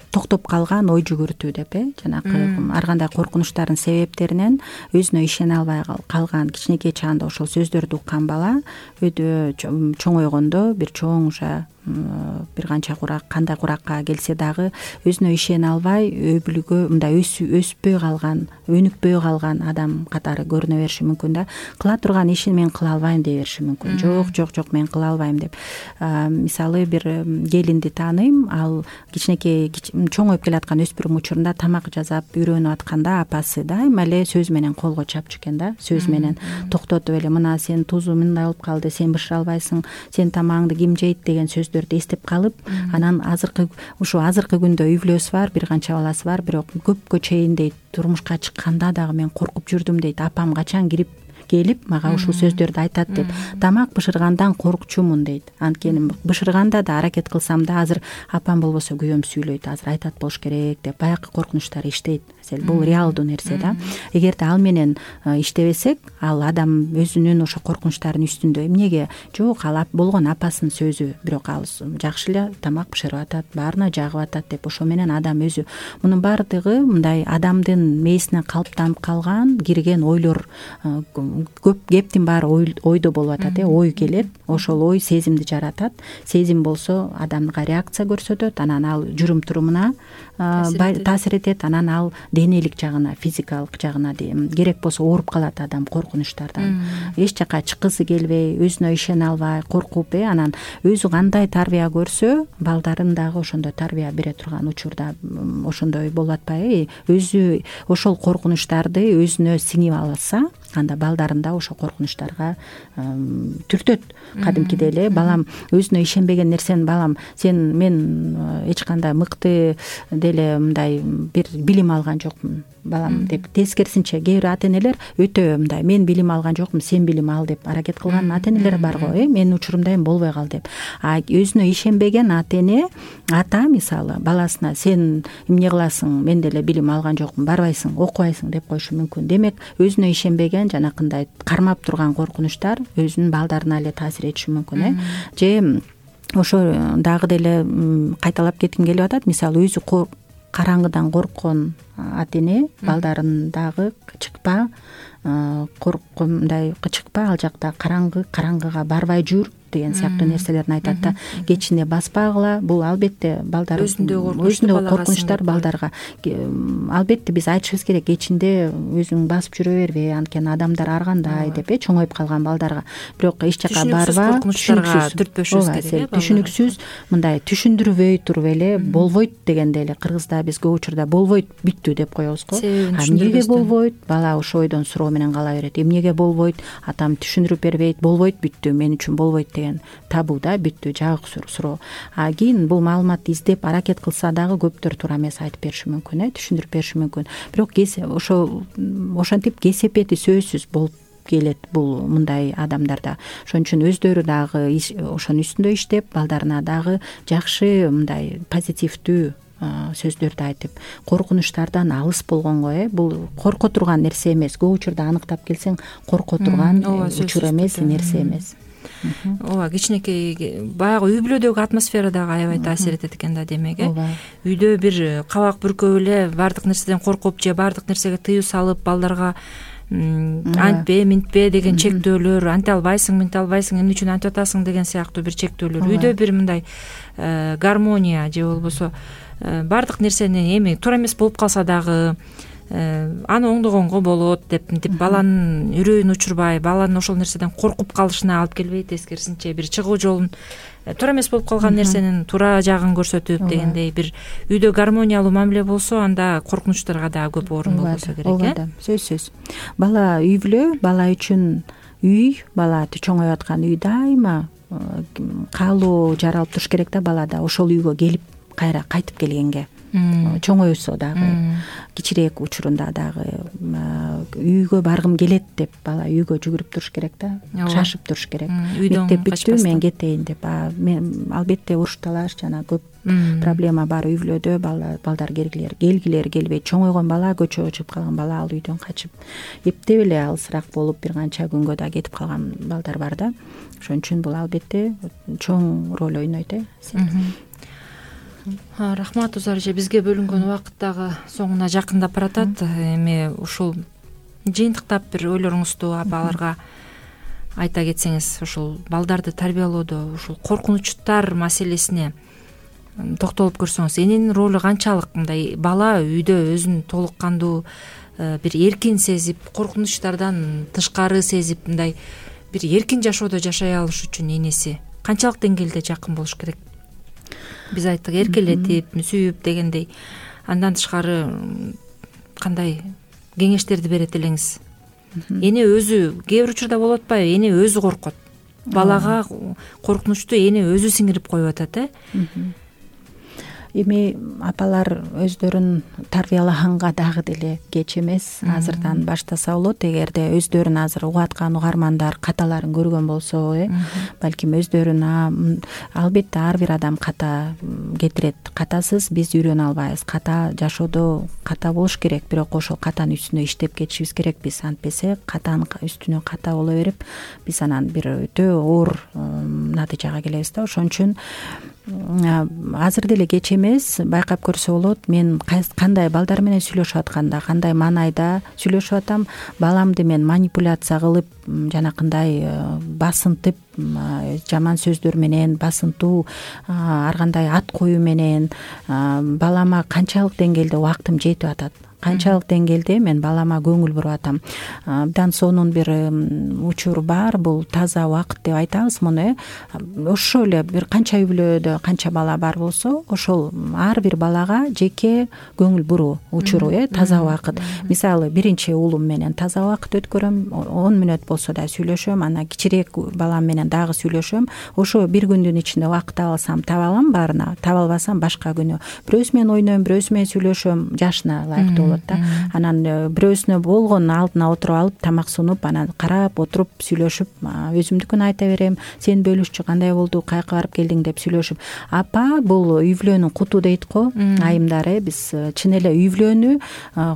[SPEAKER 3] токтоп калган ой жүгүртүү деп, э жанагы ар кандай коркунучтардын себептеринен өзүнө ишене албай калган, кичинекей чагында ошол сөздөрдү уккан бала өйдө чоңойгондо бир чоң уже бир канча курак, кандай куракка келсе дагы өзүнө ишене албай өбүлгө мындай өспөй калган, өнүкпөй калган адам катары көрүнө бериши мүмкүн да. Кыла турган ишин мен кыла албайм дей бериши мүмкүн. Жок, жок, жок, мен кыла албайм деп. Мисалы бир келинди тааныйм, ал кичинекей чоңоюп келаткан өспүрүм учурунда тамак жасап үйрөнүп атканда апасы дайыма эле сөз менен колго чапчу экен да, сөз менен токтотуп эле, мына сен тузу мындай болуп калды, сен бышыра албайсың, сен тамагыңды ким жейт деген сөз эстеп калып, анан азыркы ушу азыркы күндө үй бүлөсү бар, бир канча баласы бар, бирок көпкө чейин дейт, турмушка чыкканда дагы мен коркуп жүрдүм дейт. Апам качан кирип келип мага ушул сөздөрдү айтат деп, тамак бышыргандан коркчумун дейт. Анткени бышырганда да аракет кылсам да азыр апам болбосо күйөөм сүйлөйт, азыр айтат болуш керек деп баягы коркунучтар иштейт. Бул реалдуу нерсе да. Эгерде ал менен иштебесек, ал адам өзүнүн ошо коркунучтарынын үстүндө эмнеге жок, ал болгон апасынын сөзү, бирок ал жакшы эле тамак бышырып атат, баарына жагып атат деп, ошо менен адам өзү, мунун баардыгы мындай адамдын мээсине калыптанып калган, кирген ойлор. Көп кептин баары ойдо болуп атат, э ой келет, ошол ой сезимди жаратат, сезим болсо адамга реакция көрсөтөт, анан ал жүрүм турумуна таасир этет, анан ал денелик жагына, физикалык жагына керек болсо ооруп калат адам коркунучтардан. Эч жака чыккысы келбей, өзүнө ишене албай, коркуп, э анан өзү кандай тарбия көрсө, балдарын дагы ошондой тарбия бере турган учурда ошондой болуп атпайбы? Өзү ошол коркунучтарды өзүнө сиңип алса, анда балдарын да ошо коркунучтарга түртөт. Кадимкидей эле балам өзүнө ишенбеген нерсени, балам сен мен эч кандай мыкты деле мындай бир билим алган жокмун балам деп, тескерисинче кээ бир ата энелер өтө мындай, мен билим алган жокмун, сен билим ал деп аракет кылган ата энелер бар го, э менин учурумда эми болбой кал деп. А өзүнө ишенбеген ата эне, ата мисалы баласына сен эмне кыласың, мен деле билим алган жокмун, барбайсың, окубайсың деп коюшу мүмкүн. Демек өзүнө ишенбеген жанакындай кармап турган коркунучтар өзүнүн балдарына эле таасир этиши мүмкүн, э же ошо дагы деле кайталап кетким келип атат. Мисалы өзү караңгыдан корккон ата эне балдарын дагы чыкпа, корккон мындай чыкпа, ал жакта караңгы, караңгыга барбай жүр деген сыяктуу нерселерин айтат да. Кечине баспагыла, бул албетте балдар өзүндөгү коркунучтар балдарга. Албетте биз айтышыбыз керек, кечинде өзүң басып жүрө бербе, анткени адамдар ар кандай деп э чоңоюп калган балдарга. Бирок эч жака барба,
[SPEAKER 2] коркунучтарга түртпөшүбүз керек.
[SPEAKER 3] Түшүнүксүз мындай түшүндүрбөй туруп эле болбойт дегенде эле кыргызда биз көп учурда болбойт бүттү деп коебуз го. Эмнеге болбойт? Бала ошо ойдон суроо менен кала берет. Эмнеге болбойт? Атам түшүндүрүп бербейт, болбойт бүттү, мен үчүн болбойт деген табу да, бүттү жабык суроо. А кийин бул маалыматты издеп аракет кылса дагы көптөр туура эмес айтып бериши мүмкүн э түшүндүрүп бериши мүмкүн. Бирок ошо ошентип кесепети сөзсүз болуп келет бул мындай адамдарда. Ошон үчүн өздөрү дагы ошонун үстүндө иштеп, балдарына дагы жакшы мындай позитивдүү сөздөрдү айтып, коркунучтардан алыс болгонго э бул корко турган нерсе эмес. Көп учурда аныктап келсең, корко турган учур эмес, нерсе эмес.
[SPEAKER 2] Ооба, кичинекей баягы үй бүлөдөгү атмосфера дагы аябай таасир этет экен да, демек э. Үйдө бир кабак бүркөп эле баардык нерседен коркуп же баардык нерсеге тыюу салып, балдарга антпе, минтпе деген чектөөлөр, анте албайсың, минте албайсың, эмне үчүн антип атасың деген сыяктуу бир чектөөлөр. Үйдө бир мындай гармония же болбосо баардык нерсени эми туура эмес болуп калса дагы аны оңдогонго болот деп мынтип баланын үрөйүн учурбай, баланын ошол нерседен коркуп калышына алып келбейт, тескерисинче бир чыгуу жолун, туура эмес болуп калган нерсенин туура жагын көрсөтүп дегендей бир үйдө гармониялуу мамиле болсо, анда коркунучтарга дагы көп орун болбосо керек э.
[SPEAKER 3] Ооба, сөзсүз. Бала үй бүлө, бала үчүн үй, бала чоңоюп аткан үй дайыма каалоо жаралып туруш керек да балада, ошол үйгө келип кайра кайтып келгенге. Чоңоюсо дагы, кичирээк учурунда дагы үйгө баргым келет деп бала үйгө жүгүрүп туруш керек да, шашып туруш керек. Мектеп бүттү, мен кетейин деп. Мен албетте уруш талаш жана көп проблема бар үй бүлөдө, балдар келгилер, келгилер келбейт. Чоңойгон бала, көчөгө чыгып калган бала ал үйдөн качып, эптеп эле алысыраак болуп бир канча күнгө да кетип калган балдар бар да. Ошон үчүн бул албетте чоң роль ойнойт э.
[SPEAKER 2] Рахмат Узар эже, бизге бөлүнгөн убакыт дагы соңуна жакындап баратат. Эми ушул жыйынтыктап бир ойлоруңузду апаларга айта кетсеңиз, ушул балдарды тарбиялоодо ушул коркунучтар маселесине токтолуп көрсөңүз, эненин ролу канчалык? Мындай бала үйдө өзүн толук кандуу бир эркин сезип, коркунучтардан тышкары сезип, мындай бир эркин жашоодо жашай алыш үчүн энеси канчалык деңгээлде жакын болуш керек? Биз айттык, эркелетип, сүйүп дегендей. Андан тышкары кандай кеңештерди берет элеңиз? Эне өзү кээ бир учурда болуп атпайбы? Эне өзү коркот. Балага коркунучту эне өзү сиңирип коюп атат э.
[SPEAKER 3] Эми апалар өздөрүн тарбиялаганга дагы деле кеч эмес. Азырдан баштаса болот. Эгерде өздөрүн азыр угуп аткан угармандар каталарын көргөн болсо, э, балким өздөрүн албетте ар бир адам ката кетирет. Катасыз биз үйрөнө албайбыз. Ката жашоодо ката болуш керек, бирок ошол катанын үстүнө иштеп кетишибиз керек биз. Антпесе катанын үстүнө ката боло берип, биз анан бир өтө оор натыйжага келебиз да. Ошон үчүн азыр деле кеч эмес, байкап көрсө болот. Мен кандай балдар менен сүйлөшүп атканда, кандай маанайда сүйлөшүп атам, баламды мен манипуляция кылып, жанакындай басынтып, жаман сөздөр менен, басынтуу, ар кандай ат коюу менен балама канчалык деңгээлде убактым жетип атат, канчалык деңгээлде мен балама көңүл буруп атам. Абдан сонун бир учур бар, бул таза убакыт деп айтабыз муну. Ошо эле бир канча үй бүлөдө канча бала бар болсо, ошол ар бир балага жеке көңүл буруу учуру, э, таза убакыт. Мисалы, биринчи уулум менен таза убакыт өткөрөм, он мүнөт болсо да сүйлөшөм, анан кичирээк балам менен дагы сүйлөшөм. Ошо бир күндүн ичинде убакыт таба алсам таба алам баарына, таба албасам башка күнү. Бирөөсү менен ойнойм, бирөөсү менен сүйлөшөм, жашына ылайыктуу болот да. Анан бирөөсүнө болгон алдына отуруп алып, тамак сунуп, анан карап отуруп сүйлөшүп, өзүмдүкүн айта берем. Сен бөлүшчү кандай болду, каяка барып келдиң деп сүйлөшүп. Апа, бул үй бүлөнүн куту дейт го айымдар, э. Биз чын эле үй бүлөнү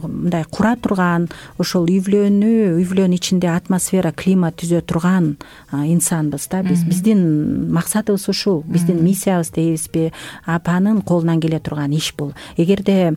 [SPEAKER 3] мындай кура турган, ошол үй бүлөнү, үй бүлөнүн ичинде атмосфера, климат түзө турган инсанбыз да. Биз биздин максатыбыз ушул, биздин миссиябыз дейбизби? Апанын колунан келе турган иш бул. Эгерде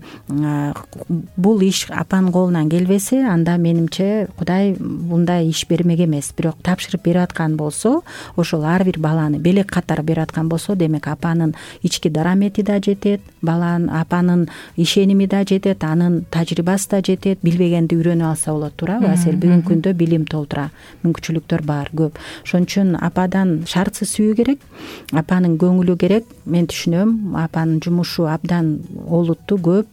[SPEAKER 3] бул иш апанын колунан келбесе, анда менимче Кудай мындай иш бермек эмес. Бирок тапшырып берип аткан болсо, ошол ар бир баланы белек катары берип аткан болсо, демек апанын ички дарамети да жетет, баланын апанын ишеними да жетет, анын тажрыйбасы да жетет, билбегенди үйрөнүп алса болот, туурабы Асель? Бүгүнкү күндө билим толтура, мүмкүнчүлүктөр бар, көп. Ошон үчүн ападан шартсыз сүйүү керек, апанын көңүлү керек. Мен түшүнөм, апанын жумушу абдан олуттуу, көп,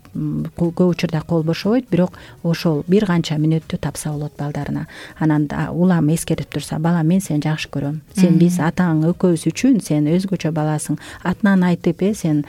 [SPEAKER 3] көп учурда кол бошобойт, бирок ошол бир канча мүнөттү тапса болот балдарына. Анан улам эскертип турса, балам, мен сени жакшы көрөм, сен биз атаң экөөбүз үчүн сен өзгөчө баласың, атынан айтып, э сен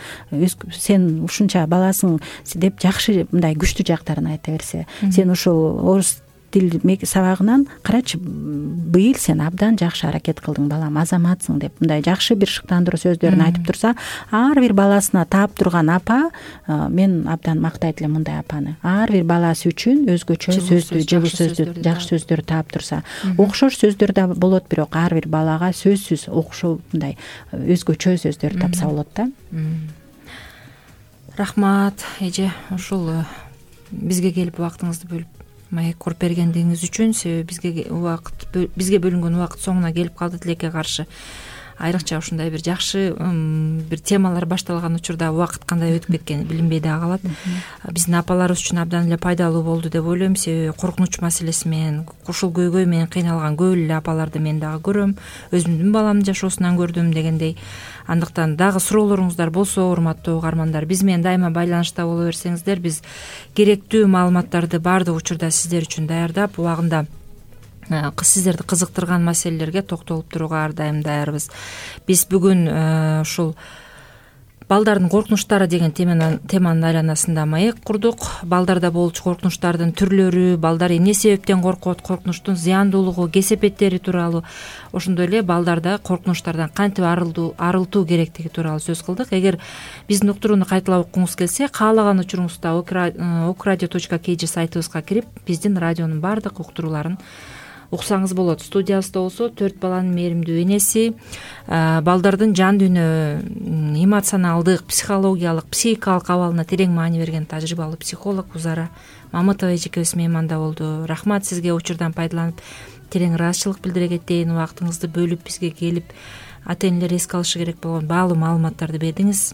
[SPEAKER 3] сен ушунча баласың деп жакшы, мындай күчтүү жактарын айта берсе, сен ошол орус тил сабагынан карачы, быйыл сен абдан жакшы аракет кылдың, балам, азаматсың деп мындай жакшы бир шыктандыруу сөздөрүн айтып турса, ар бир баласына таап турган апа, мен абдан мактайт элем мындай апаны. Ар бир баласы үчүн өзгөчө сөздү, жылуу сөздү, жакшы сөздөрдү таап турса, окшош сөздөр да болот, бирок ар бир балага сөзсүз окшоо мындай өзгөчө сөздөрдү тапса болот да.
[SPEAKER 2] Рахмат, эже, ушул бизге келип убактыңызды бөлүп маек коруп бергендигиңиз үчүн. Себеби бизге убакыт бизге бөлүнгөн убакыт соңуна келип калды. Тилекке каршы айрыкча ушундай бир жакшы бир темалар башталган учурда убакыт кандай өтүп кеткени билинбей да калат. Биздин апаларыбыз үчүн абдан эле пайдалуу болду деп ойлойм. Себеби коркунуч маселеси менен, ушул көйгөй менен кыйналган көп эле апаларды мен дагы көрөм, өзүмдүн баламдын жашоосунан көрдүм дегендей. Андыктан дагы суроолоруңуздар болсо, урматтуу угармандар, биз менен дайыма байланышта боло берсеңиздер, биз керектүү маалыматтарды баардык учурда сиздер үчүн даярдап, убагында сиздерди кызыктырган маселелерге токтолуп турууга ар дайым даярбыз. Биз бүгүн ушул балдардын коркунучтары деген теманын айланасында маек курдук. Балдарда болчу коркунучтардын түрлөрү, балдар эмне себептен коркот, коркунучтун зыяндуулугу, кесепеттери тууралуу, ошондой эле балдарда коркунучтардан кантип арылтуу керектиги тууралуу сөз кылдык. Эгер биздин уктурууну кайталап окуңуз келсе, каалаган учуруңузда окраdio точка kg сайтыбызга кирип, биздин радионун баардык уктурууларын уксаңыз болот. Студиябызда болсо төрт баланын мээримдүү энеси, балдардын жан дүйнө, эмоционалдык, психологиялык, психикалык абалына терең маани берген тажрыйбалуу психолог Узара Мамытова эжекебиз мейманда болду. Рахмат сизге учурдан пайдаланып терең ыраазычылык билдире кетейин, убактыңызды бөлүп бизге келип ата энелер эске алышы керек болгон баалуу маалыматтарды бердиңиз.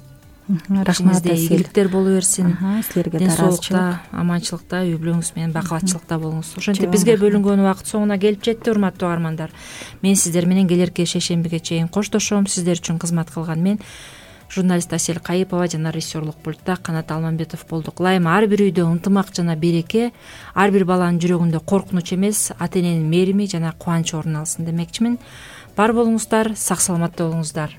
[SPEAKER 3] Рахмат,
[SPEAKER 2] ийгиликтер боло берсин.
[SPEAKER 3] Силерге
[SPEAKER 2] ден соолукта, аманчылыкта, үй бүлөңүз менен бакубатчылыкта болуңуз. Ошентип бизге бөлүнгөн убакыт соңуна келип жетти, урматтуу угармандар. Мен сиздер менен келерки шейшембиге чейин коштошом. Сиздер үчүн кызмат кылган мен журналист Асель Кайыпова жана режиссерлук пультта Канат Алмамбетов болдук. Ылайым ар бир үйдө ынтымак жана береке, ар бир баланын жүрөгүндө коркунуч эмес, ата эненин мээрими жана кубанычы орун алсын демекчимин. Бар болуңуздар, сак саламатта болуңуздар.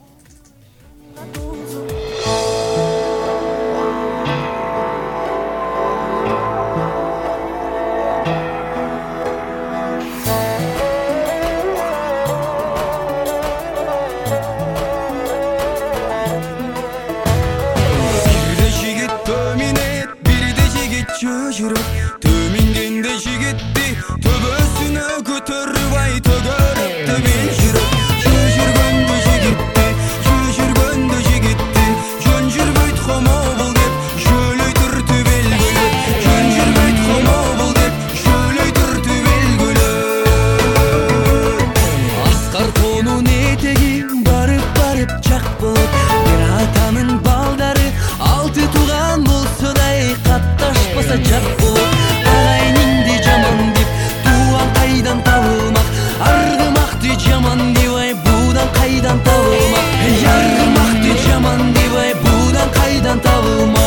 [SPEAKER 4] Төмингенде жигитти төбөсүнө көтөрүп ай төгөрүптү мен жүрөк. Жүргөндө жигитти, жүргөндө жигитти, жөн жүрбөйт хомобул деп жөлөй түртү белгилеп. Жөн жүрбөйт хомобул деп жөлөй түртү белгилеп. Аскар тоонун этеги барып барып жак болот. Бир атанын балдары алты тууган болсо да катташпаса жак болот. Агайныңды жаман деп тууган кайдан табылмак, аргымакты жаман деп ай будан кайдан табылмак. Аргымакты жаман деп ай будан кайдан табылмак.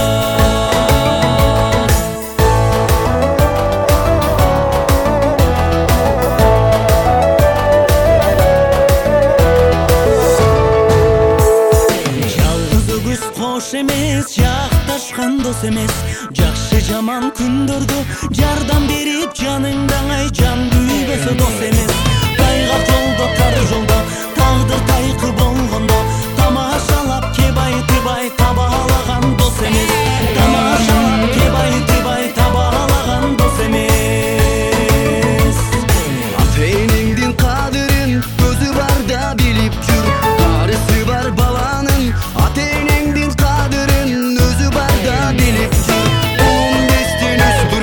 [SPEAKER 4] Жалгыз өгүз кош эмес, жакташкан дос эмес. Жакшы жаман күндөрдө жардам берип жаныңдаңай жан күйбөсө дос эмес. Тайгак жолдо, тар жолдо, тагдыр тайкы болгондо тамашалап кебай тыбай табалаган дос эмес. Тамашалап кебай тыбай табалаган дос эмес. Ата энеңдин кадырын өзү барда билип жүр. Карысы бар баланын ата энеңдин кадырын өзү барда билип жүр. Улум бестен өстүр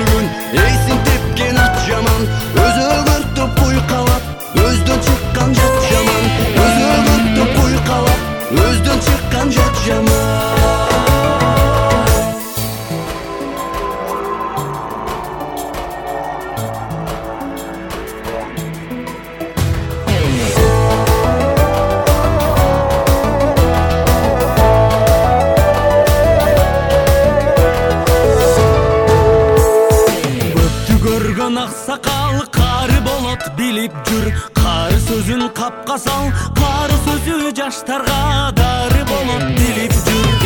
[SPEAKER 4] жашаган аксакал кары болот билип жүр. Кары сөзүн капка сал, кары сөзү жаштарга дары болот билип жүр.